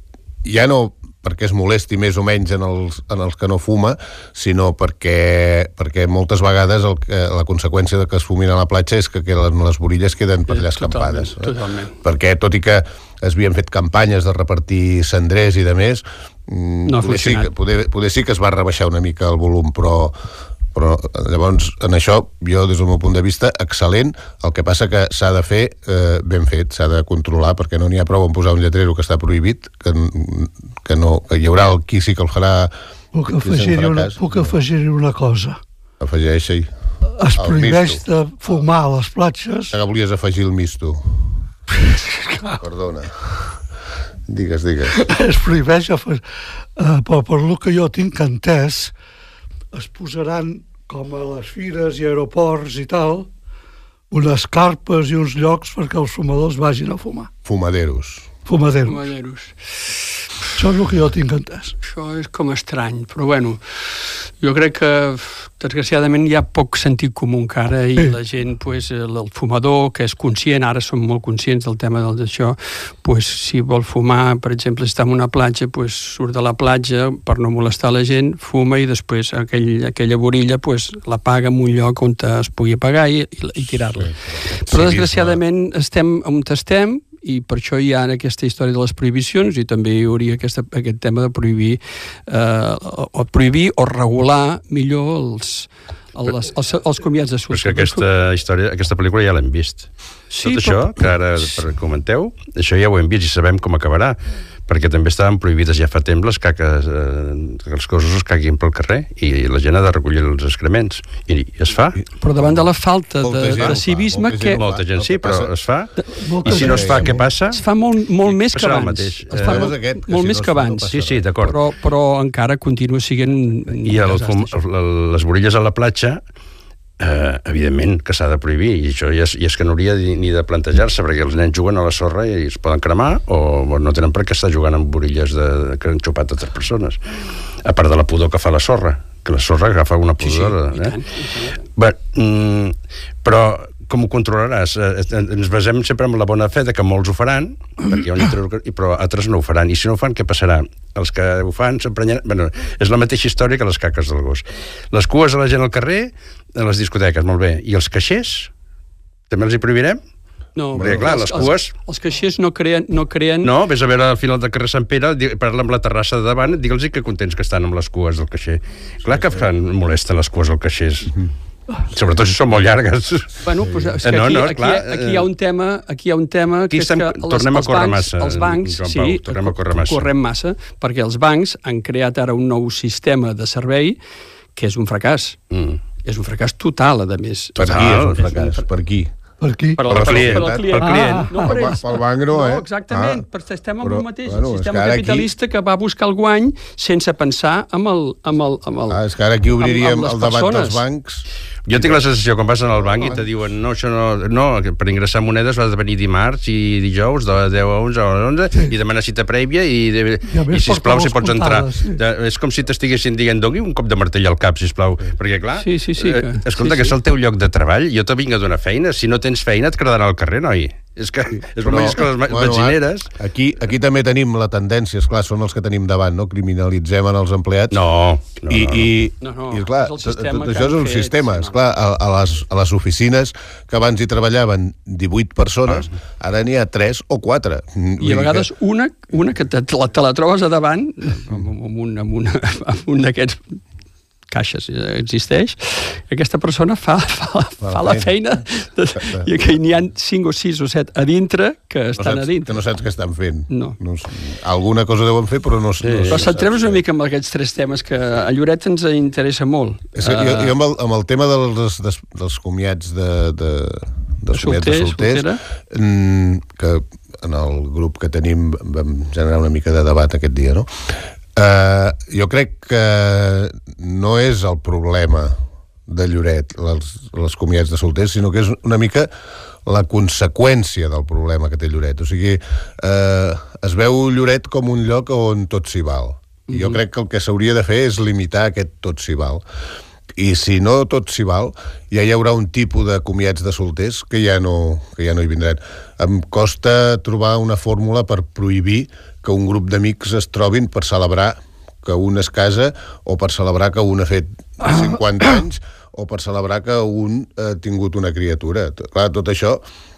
Ja no perquè es molesti més o menys en els, en els que no fuma, sinó perquè, perquè moltes vegades el, la conseqüència de que es fumin a la platja és que les, les borilles queden per allà escampades. Totalment, totalment. Perquè tot i que es havien fet campanyes de repartir cendrers i de més, no poder, sí que, poder, poder sí que es va rebaixar una mica el volum, però però llavors en això jo des del meu punt de vista excel·lent, el que passa que s'ha de fer eh, ben fet, s'ha de controlar perquè no n'hi ha prou en posar un lletrero que està prohibit, que, que no, que hi haurà el qui sí que el farà. Puc afegir-hi una, puc afegir-hi una cosa. Afegeix-hi. Es prohibeix de fumar a les platges. Que volies afegir el misto. Perdona. Digues, digues. Es prohibeix, uh, però per el que jo tinc entès, es posaran, com a les fires i aeroports i tal, unes carpes i uns llocs perquè els fumadors vagin a fumar. Fumaderos. Fumaderos. Fumaderos. Això és el que jo tinc entès. Això és com estrany, però bueno, jo crec que desgraciadament hi ha poc sentit comú encara i sí. La gent, pues, el fumador que és conscient, ara som molt conscients del tema d'això, pues, si vol fumar, per exemple, si està en una platja, pues, surt de la platja per no molestar la gent, fuma i després aquell, aquella borilla pues, la paga en un lloc on es pugui apagar i, i, i tirar-la. Sí, però desgraciadament estem on estem i per això hi ha aquesta història de les prohibicions i també hi hauria aquesta, aquest tema de prohibir eh, o prohibir o regular millor els, els, els, els comiats de solter. Però és que aquesta història, aquesta pel·lícula ja l'hem vist. Sí, tot això que ara comenteu, això ja ho hem vist i sabem com acabarà, perquè també estaven prohibides ja fa temps les caques, eh, que els cossos es caguin pel carrer i la gent ha de recollir els excrements i, i es fa. Però davant de la falta de, de civisme molta que... Gent, molta gent sí, però es fa. Molta I si no es fa, què passa? Es fa molt, molt més que abans. Es fa molt, aquest, molt més que abans. Sí, sí, d'acord. Però, però encara continua sent... I el, el, les borilles a la platja, eh, evidentment que s'ha de prohibir, i això ja és, ja és que no hauria ni de plantejar-se, perquè els nens juguen a la sorra i es poden cremar, o no tenen per què estar jugant amb borilles de, que han xupat altres persones, a part de la pudor que fa la sorra, que la sorra agafa una pudor. Sí, sí, eh? i tant, i tant. Bé, mm, però com ho controlaràs? Ens basem sempre en la bona fe de que molts ho faran, perquè hi ha un llitre, però altres no ho faran. I si no ho fan, què passarà? Els que ho fan s'emprenyaran... Bueno, és la mateixa història que les caques del gos. Les cues a la gent al carrer, a les discoteques, molt bé. I els caixers? També els hi prohibirem? No, perquè, clar, les cues... Els, els caixers no creen, no creen... No, vés a veure al final del carrer Sant Pere, parla amb la terrassa de davant, digue'ls que contents que estan amb les cues del caixer. Clar que fan, molesten les cues als caixers. Sobretot si són molt llargues. Bueno, pues, és que no, aquí, no, aquí, aquí hi ha un tema, aquí hi ha un tema que és que les, tornem a córrer els bancs, massa, els bancs Joan sí, Pau, tornem a córrer massa. correm massa, perquè els bancs han creat ara un nou sistema de servei que és un fracàs. Mm. És un fracàs total, a més. Per qui és un fracàs? Per qui? Per qui? Per, per, client. per al client. Per client. Ah, no, per ells. Pel banc no, eh? No, exactament, ah, però estem amb però, el mateix. Bueno, el sistema capitalista aquí... que va buscar el guany sense pensar amb el... Amb el, amb el ah, és que ara aquí obriríem amb, amb el debat persones. dels bancs... Jo tinc la sensació, quan vas al banc i te diuen no, això no, no, per ingressar monedes has de venir dimarts i dijous de deu a onze o onze sí. i demanar cita prèvia i, de, i, i sisplau, si pots entrar. Sí. De, és com si t'estiguessin dient, doni un cop de martell al cap, sisplau, perquè clar, sí, sí, sí, que... eh, escolta, sí, que sí. és el teu lloc de treball, jo te vinc a donar feina, si no tens feina et quedarà al carrer, noi. És que és el mateix que les bueno, benzineres. Aquí, aquí també tenim la tendència, esclar, són els que tenim davant, no? Criminalitzem en els empleats. No, no, I, no. i, no, no. i esclar, és tot això és un fet, sistema. no. Esclar, a, a, les, a les oficines que abans hi treballaven divuit persones, ah. ara n'hi ha tres o quatre. I a vegades que... una, una que te, te, la, te la trobes a davant amb, amb un, amb una, amb un d'aquests caixes existeix, aquesta persona fa, fa, fa, fa la feina, de, i que n'hi ha cinc o sis o set a dintre que estan no saps, a dintre. Que no saps què estan fent. No. no alguna cosa deuen fer, però no, sí. no Però centrem-nos una mica amb aquests tres temes que a Lloret ens interessa molt. És que jo, jo amb, el, amb el tema dels, dels, dels comiats de, de, dels comiats de solters, que en el grup que tenim vam generar una mica de debat aquest dia, no? Uh, jo crec que no és el problema de Lloret, els, els comiats de solters, sinó que és una mica la conseqüència del problema que té Lloret. O sigui, uh, es veu Lloret com un lloc on tot s'hi val. I jo crec que el que s'hauria de fer és limitar aquest tot s'hi val. I si no tot s'hi val, ja hi haurà un tipus de comiats de solters que ja no, que ja no hi vindran. Em costa trobar una fórmula per prohibir que un grup d'amics es trobin per celebrar que un es casa o per celebrar que un ha fet cinquanta anys o per celebrar que un ha tingut una criatura. Clar, tot això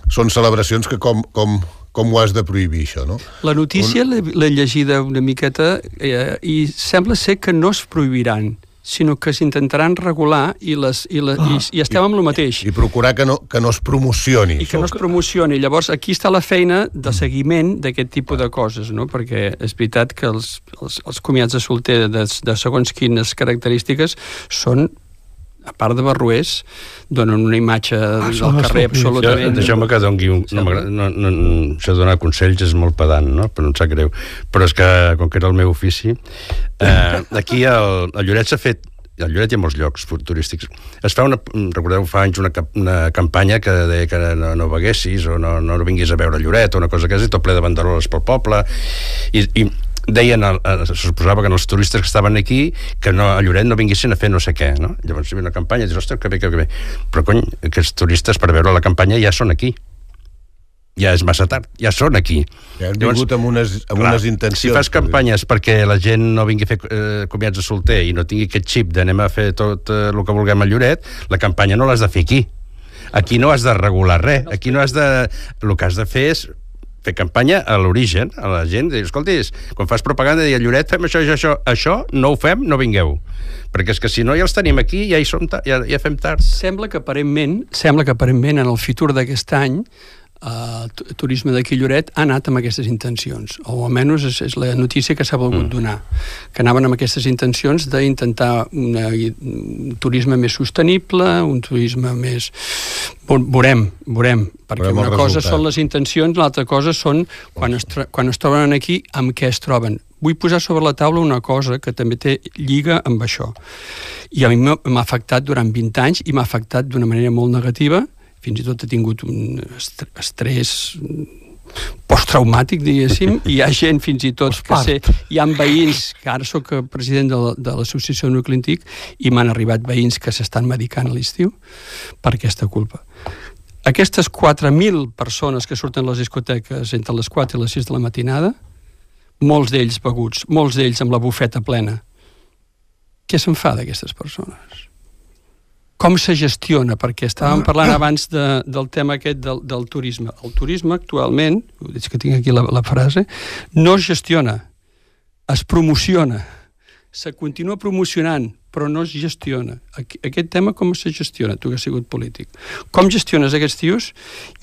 són celebracions que com, com, com ho has de prohibir, això, no? La notícia un... l'he llegida una miqueta eh, i sembla ser que no es prohibiran, sinó que s'intentaran regular i, les, i, la, ah, i, i estem amb el mateix. I, i procurar que no, que no es promocioni. I que no es promocioni. Llavors, aquí està la feina de seguiment d'aquest tipus de coses, no? Perquè és veritat que els, els, els comiats de solter de, de segons quines característiques són, a part de barruers, donen una imatge ah, del carrer absolutament... Deixeu-me que doni un... No, no, no, això de donar consells és molt pedant, no? Però no em sap greu. Però és que, com que era el meu ofici, eh, aquí el, el Lloret s'ha fet... Al Lloret hi ha molts llocs turístics. Es fa una... Recordeu, fa anys una, una campanya que deia que no, no beguessis o no, no vinguis a veure Lloret o una cosa que és tot ple de banderoles pel poble. I... i deien, se suposava que els turistes que estaven aquí, que no, a Lloret no vinguessin a fer no sé què, no? Llavors hi havia una campanya i dius, ostres, que bé, que bé. Però, cony, aquests turistes per veure la campanya ja són aquí. Ja és massa tard, ja són aquí. Ja han vingut Llavors, amb unes, amb clar, unes intencions. Si fas campanyes perquè la gent no vingui a fer eh, comiats de solter i no tingui aquest xip d'anem a fer tot eh, el que vulguem a Lloret, la campanya no l'has de fer aquí. Aquí no has de regular res. Aquí no has de... El que has de fer és fer campanya a l'origen, a la gent, dir, escolti, quan fas propaganda, dir, a Lloret fem això, això, això, això no ho fem, no vingueu. Perquè és que si no ja els tenim aquí, ja hi som, ja, ja fem tard. Sembla que aparentment, sembla que aparentment en el futur d'aquest any el uh, turisme d'aquí Lloret ha anat amb aquestes intencions, o almenys és, és la notícia que s'ha volgut mm. donar, que anaven amb aquestes intencions d'intentar una, un turisme més sostenible, un turisme més... Veurem, veurem, perquè veurem una cosa resultat. Són les intencions, l'altra cosa són quan es, quan es troben aquí, amb què es troben. Vull posar sobre la taula una cosa que també té lliga amb això. I a mi m'ha afectat durant vint anys i m'ha afectat d'una manera molt negativa. Fins i tot ha tingut un estrès posttraumàtic, diguéssim, i hi ha gent fins i tot que sé, hi ha veïns, que ara soc president de, de l'associació Nucli Antic, i m'han arribat veïns que s'estan medicant a l'estiu per aquesta culpa. Aquestes quatre mil persones que surten a les discoteques entre les quatre i les sis de la matinada, molts d'ells beguts, molts d'ells amb la bufeta plena, què se'n fa d'aquestes persones? Com se gestiona? Perquè estàvem parlant abans de, del tema aquest del, del turisme. El turisme actualment, és que tinc aquí la, la frase, no es gestiona, es promociona, se continua promocionant, però no es gestiona. Aquest tema com se gestiona, tu que has sigut polític? Com gestiones aquests tios?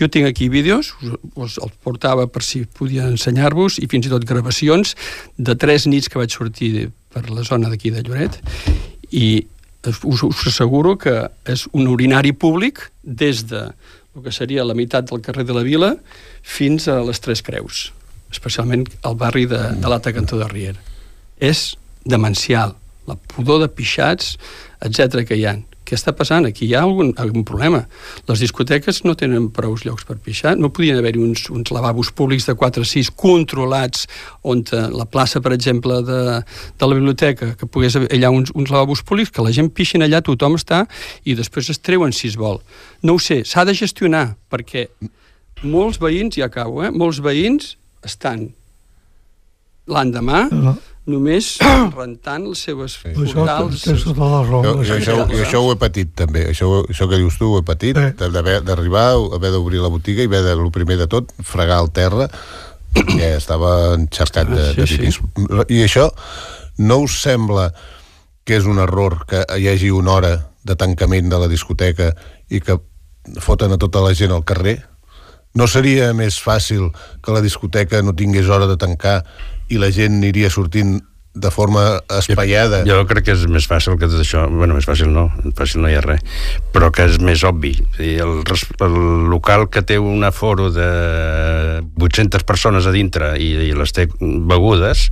Jo tinc aquí vídeos, us els portava per si podia ensenyar-vos, i fins i tot gravacions de tres nits que vaig sortir per la zona d'aquí de Lloret, i us, us asseguro que és un urinari públic des de el que seria la meitat del carrer de la Vila fins a les Tres Creus, especialment al barri de, de l'Alta Cantó de Riera. És demencial, la pudor de pixats, etcètera que hi ha. Què està passant? Aquí hi ha algun, algun problema. Les discoteques no tenen prou llocs per pixar, no podien haver-hi uns, uns lavabos públics de quatre o sis controlats on la plaça, per exemple, de, de la biblioteca, que pogués haver allà uns, uns lavabos públics, que la gent pixin allà, tothom està, i després es treuen si es vol. No ho sé, s'ha de gestionar, perquè molts veïns, ja acabo, eh? molts veïns estan l'endemà només rentant les seves sí. focals. Això, jo, jo, això, jo això ho he patit també, això, això que dius tu ho he patit, sí. d'arribar, haver d'obrir la botiga i haver de, el primer de tot, fregar el terra, perquè estava enxarcat de, de pipis. Sí. I això no us sembla que és un error que hi hagi una hora de tancament de la discoteca i que foten a tota la gent al carrer? No seria més fàcil que la discoteca no tingués hora de tancar i la gent aniria sortint de forma espaiada? Jo, jo crec que és més fàcil que tot això, bueno, més fàcil no, fàcil no hi ha res, però que és més obvi. El, el local que té un aforo de vuit-centes persones a dintre i, i les té begudes,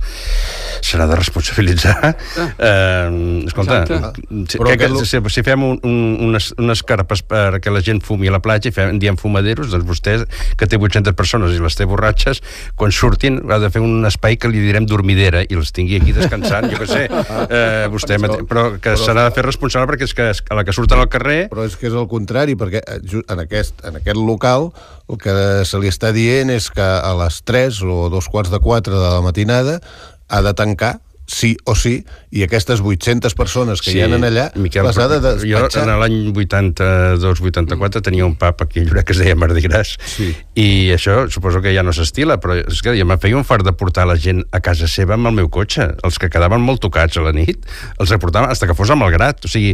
serà de responsabilitzar. Ah. Eh, escolta, si, que, que, si, si fem un, un, unes, unes carpes perquè la gent fumi a la platja i fem, diem fumaderos, doncs vostè, que té vuit-centes persones i les té borratxes, quan surtin ha de fer un espai que li direm dormidera i els tingui aquí descansant, jo què sé, eh, vostè mate... però que però... s'ha de fer responsable perquè és que a la que surten al carrer... Però és que és el contrari, perquè en aquest, en aquest local el que se li està dient és que a les tres o dos quarts de quatre de la matinada ha de tancar sí o sí, i aquestes vuit-centes persones que sí, hi ha allà, Miquel, les ha de despatxar. Jo, en l'any vuitanta-dos vuitanta-quatre, mm. tenia un pub aquí a Lloret que es deia Mardi Gras, sí. i això suposo que ja no s'estila, però és que jo me feia un fart de portar la gent a casa seva amb el meu cotxe. Els que quedaven molt tocats a la nit, els reportaven fins que fos a Malgrat. O sigui,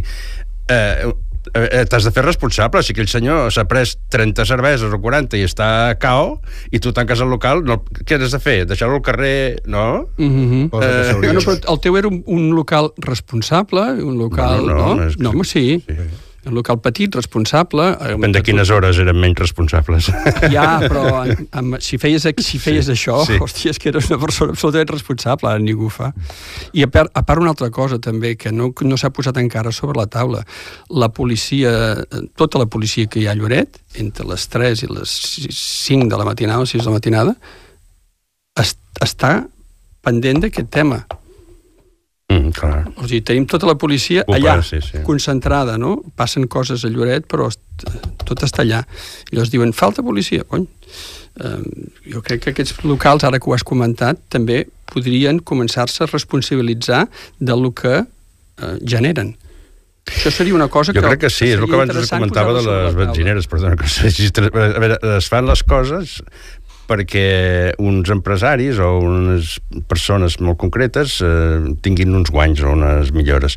eh, eh, t'has de fer responsable. Si aquell senyor s'ha pres trenta cerveses o quaranta i està a cao i tu tanques el local, no, què has de fer? Deixar-lo al carrer? No? Mm-hmm. eh, no, però el teu era un, un local responsable, un local... No, no, no, no, no home, sí. sí. Un local petit, responsable... Depèn de quines hores eren menys responsables. Ja, però amb, amb, si feies, si feies sí, això, sí. hòstia, és que eres una persona absolutament responsable, ara ningú ho fa. I a part, a part una altra cosa també, que no, no s'ha posat encara sobre la taula. La policia, tota la policia que hi ha a Lloret, entre les tres i les cinc de la matinada, o sis de la matinada, est, està pendent d'aquest tema. Mm, clar. O sigui, tenim tota la policia Opa, allà, sí, sí. concentrada, no? Passen coses a Lloret, però tot està allà. I llavors diuen, falta policia, cony. Uh, jo crec que aquests locals, ara que ho has comentat, també podrien començar-se a responsabilitzar del que uh, generen. Això seria una cosa jo que... Jo crec que sí, és el que abans comentava de les benzineres, perdona, que a veure, es fan les coses perquè uns empresaris o unes persones molt concretes eh, tinguin uns guanys o unes millores.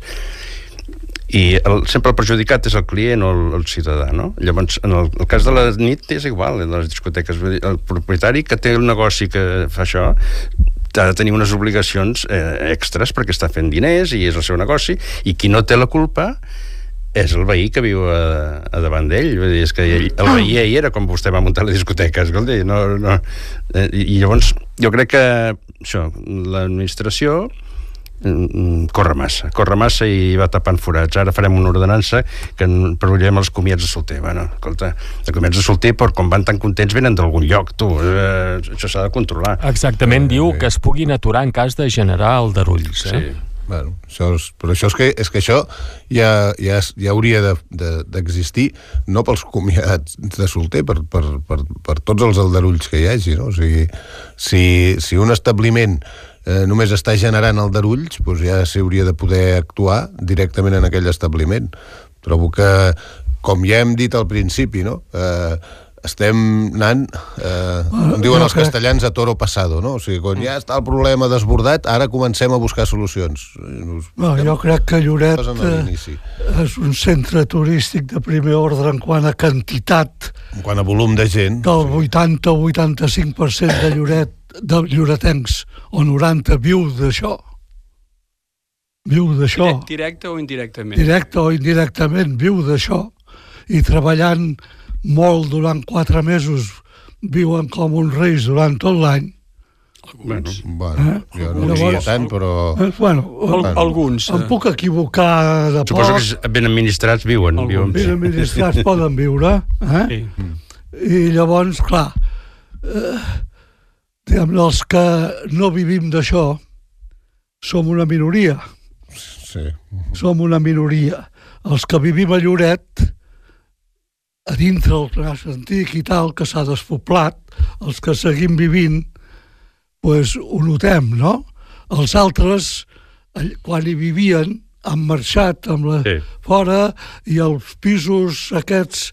I el, sempre el perjudicat és el client o el, el ciutadà, no? Llavors, en el, el cas de la nit és igual, en les discoteques. El propietari que té un negoci que fa això ha de tenir unes obligacions eh, extres perquè està fent diners i és el seu negoci, i qui no té la culpa és el veí que viu a, a davant d'ell. Vull dir, és que ell, el veí ahir era com vostè va muntar la discoteca, escolta, no, no. Eh, I llavors jo crec que això, l'administració corre massa, corre massa i va tapant forats. Ara farem una ordenança que prohibirem els comiats de solter. Bueno, escolta, els comiats de solter, per com van tan contents, venen d'algun lloc, tu. Eh, això s'ha de controlar. Exactament, diu que es puguin aturar en cas de generar aldarulls, eh? Sí. Bueno, això és, però això és que, és que això ja, ja, ja hauria d'existir, de, de, no pels comiats de solter, per, per, per, per tots els aldarulls que hi hagi, no? O sigui, si, si un establiment eh, només està generant aldarulls, doncs ja s'hauria de poder actuar directament en aquell establiment. Trobo que, com ja hem dit al principi, no? Eh, estem anant, eh, com diuen els castellans, a toro pasado, no? O sigui, quan ja està el problema desbordat, ara comencem a buscar solucions. No, jo crec que Lloret és un centre turístic de primer ordre en quant a quantitat. En quant a volum de gent. Del vuitanta o vuitanta-cinc per cent de Lloret, de lloretencs, o noranta viu d'això. viu d'això. Directe o indirectament? Directe o indirectament, viu d'això. I treballant molt durant quatre mesos, viuen com uns reis durant tot l'any. Alguns. Bueno, eh? jo no diria tant, però... Eh, bueno, Al, alguns. Em puc equivocar de Suposo poc. que ben administrats viuen. viuen Ben administrats poden viure. Eh? Sí. I llavors, clar, eh, diguem, els que no vivim d'això som una minoria. Sí. Som una minoria. Els que vivim a Lloret, a dintre el Tras Antic i tal, que s'ha despoblat, els que seguim vivint, pues, ho notem, no? Els altres, quan hi vivien, han marxat amb la, Sí. fora, i els pisos aquests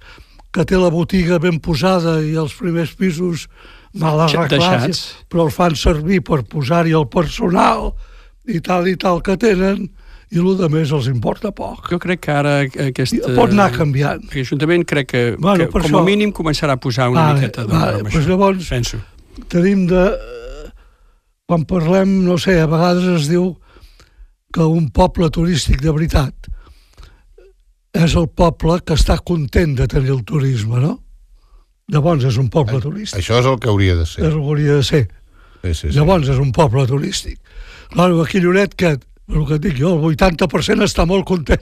que té la botiga ben posada i els primers pisos mal arreglats, Deixats. però els fan servir per posar-hi el personal i tal i tal que tenen, i el de més els importa poc. Jo crec que ara aquest... I pot anar canviant. L'Ajuntament crec que, Bueno, que per com això- a mínim començarà a posar una Vale, miqueta de vale, broma, pues això, llavors- penso. Tenim de... Quan parlem, no sé, a vegades es diu que un poble turístic de veritat és el poble que està content de tenir el turisme, no? Llavors és un poble turístic. Això és el que hauria de ser. És el que hauria de ser. Sí, sí, sí. Llavors és un poble turístic. Claro, aquí a Lloret, que, el que et dic jo, el vuitanta per cent està molt content.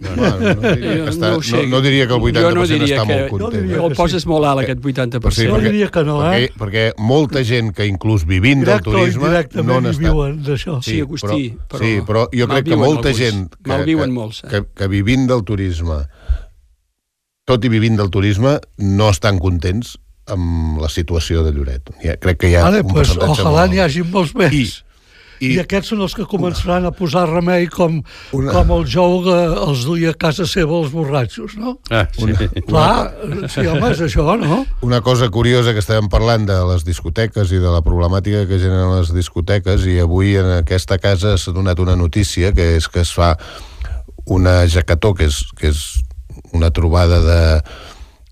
No, no, no, diria Jo que està, no ho sé. no, no diria que el vuitanta per cent Jo no diria està que- molt content. jo diria Jo el poses molt alt, aquest vuitanta per Sí, cent. Jo perquè- diria que no, eh? Perquè, perquè molta gent que inclús vivint del Directe o turisme no indirectament hi n'està. viuen d'això. Sí, Agustí, però, però sí, però jo crec que malviuen molta alguns. gent que, Malviuen que, molts, eh? que, que vivint del turisme, tot i vivint del turisme, no estan contents amb la situació de Lloret. Ja, crec que hi ha Vale, un pues, percentatge ojalà molt n'hi alt. hagi molts més. I, I, i aquests són els que començaran a posar remei com, Una- com el jou que els duia a casa seva els borratxos, no? Ah, sí. Clar, sí, home, és això, no? una cosa curiosa que estàvem parlant de les discoteques i de la problemàtica que generen les discoteques, i avui en aquesta casa s'ha donat una notícia, que és que es fa una jacató, que és, que és una trobada de...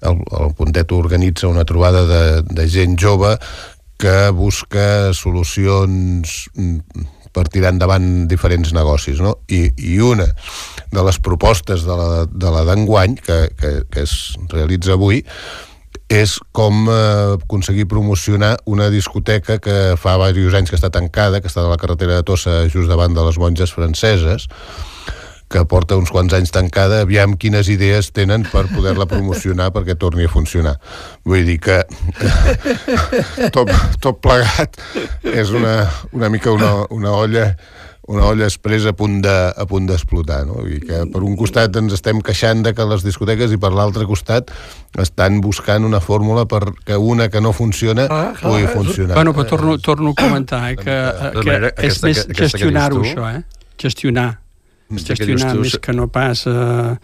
El, el Puntet organitza una trobada de, de gent jove que busca solucions per tirar endavant diferents negocis, no? I, i una de les propostes de la, de la d'enguany, que, que, que es realitza avui, és com eh, aconseguir promocionar una discoteca que fa diversos anys que està tancada, que està a la carretera de Tossa, just davant de les Monges Franceses, que porta uns quants anys tancada, aviam quines idees tenen per poder-la promocionar perquè torni a funcionar. Vull dir que, que tot, tot plegat és una, una mica una, una olla una olla expressa a punt de, a punt d'explotar, no? I que per un costat ens estem queixant de que les discoteques, i per l'altre costat estan buscant una fórmula perquè una que no funciona Ah, clar. pugui funcionar. Bueno, però torno, torno a comentar eh, que, eh, De que manera, és aquesta- més aquesta que gestionar-ho, dius tu- això, eh? Gestionar. Aquesta que Gestionar dius tu- més que no pas eh,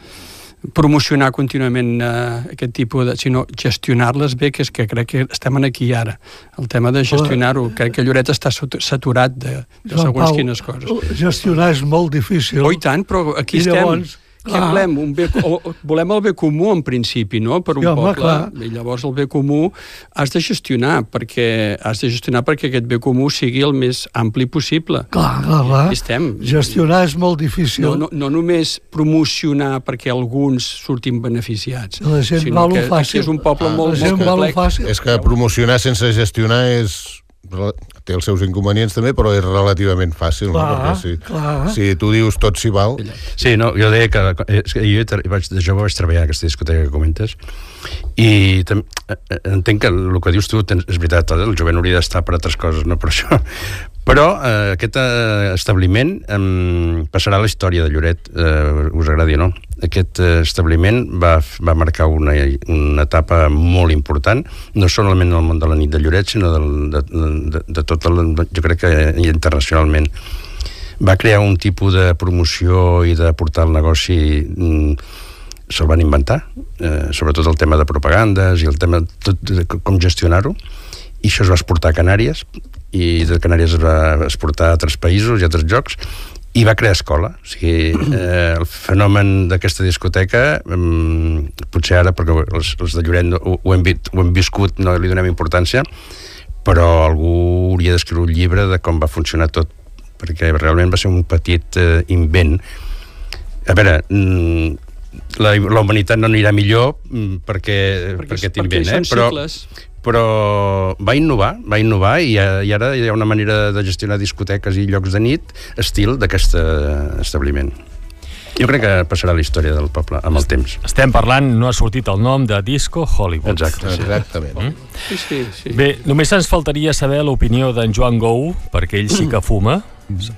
promocionar contínuament eh, aquest tipus de... sinó gestionar-les bé, que és que crec que estem aquí ara. El tema de gestionar-ho. Crec que Lloret està sat- saturat de, de Joan segons Pau, quines coses. gestionar és molt difícil. Oh, i tant, però aquí I estem. llavors, Què clar. volem? Un bé, o, o, volem el bé comú, en principi, no?, per un Sí, home, poble. clar. I llavors el bé comú has de gestionar, perquè has de gestionar perquè aquest bé comú sigui el més ampli possible. Clar, clar, clar. Aquí estem. Gestionar és molt difícil. No, no, no només promocionar perquè alguns surtin beneficiats, La gent sinó va lo que fàcil. aquí és un poble Ah, molt, la gent molt va lo complex. fàcil. És que promocionar sense gestionar és... té els seus inconvenients també, però és relativament fàcil, Clar, no? Perquè si, clar. si tu dius tot s'hi val... Sí, no, jo deia que, és que jo tra- vaig, de jove vaig treballar a aquesta discoteca que comentes, i tam, eh, entenc que el que dius tu tens, és veritat, el jovent hauria d'estar per altres coses, no per això. Però eh, aquest eh, establiment eh, passarà a la història de Lloret, eh, us agradi o no. Aquest eh, establiment va, va marcar una, una etapa molt important, no solament en el món de la nit de Lloret, sinó del, de, de, de tot el, jo crec que internacionalment. Va crear un tipus de promoció i de portar el negoci, se'l van inventar, eh, sobretot el tema de propagandes i el tema tot, de com gestionar-ho, i això es va exportar a Canàries, i de Canàries es va exportar a altres països i a altres llocs, i va crear escola. O sigui, eh, el fenomen d'aquesta discoteca, eh, potser ara, perquè els, els de Lloret no, ho, ho, hem, ho hem viscut, no li donem importància, però algú hauria d'escriure un llibre de com va funcionar tot perquè realment va ser un petit eh, invent. A veure, la, la humanitat no anirà millor perquè, perquè, perquè t'invent, eh? Però, però va innovar, va innovar i, i ara hi ha una manera de gestionar discoteques i llocs de nit estil d'aquest establiment. Jo crec que passarà la història del poble amb el temps. Estem parlant, no ha sortit el nom de Disco Hollywood. Exacte, sí. Exactament. Mm? Sí, sí, sí. Bé, només ens faltaria saber l'opinió d'en Joan Gou, perquè ell sí que fuma.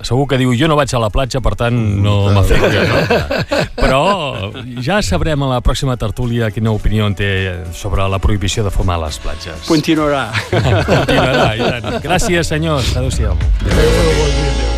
Segur que diu, jo no vaig a la platja, per tant no m'afecta, no? Però ja sabrem a la pròxima tertúlia quina opinió en té sobre la prohibició de fumar a les platges. Continuarà. Continuarà, i tant. Gràcies, senyors. Adéu-siau. Adéu, bon dia.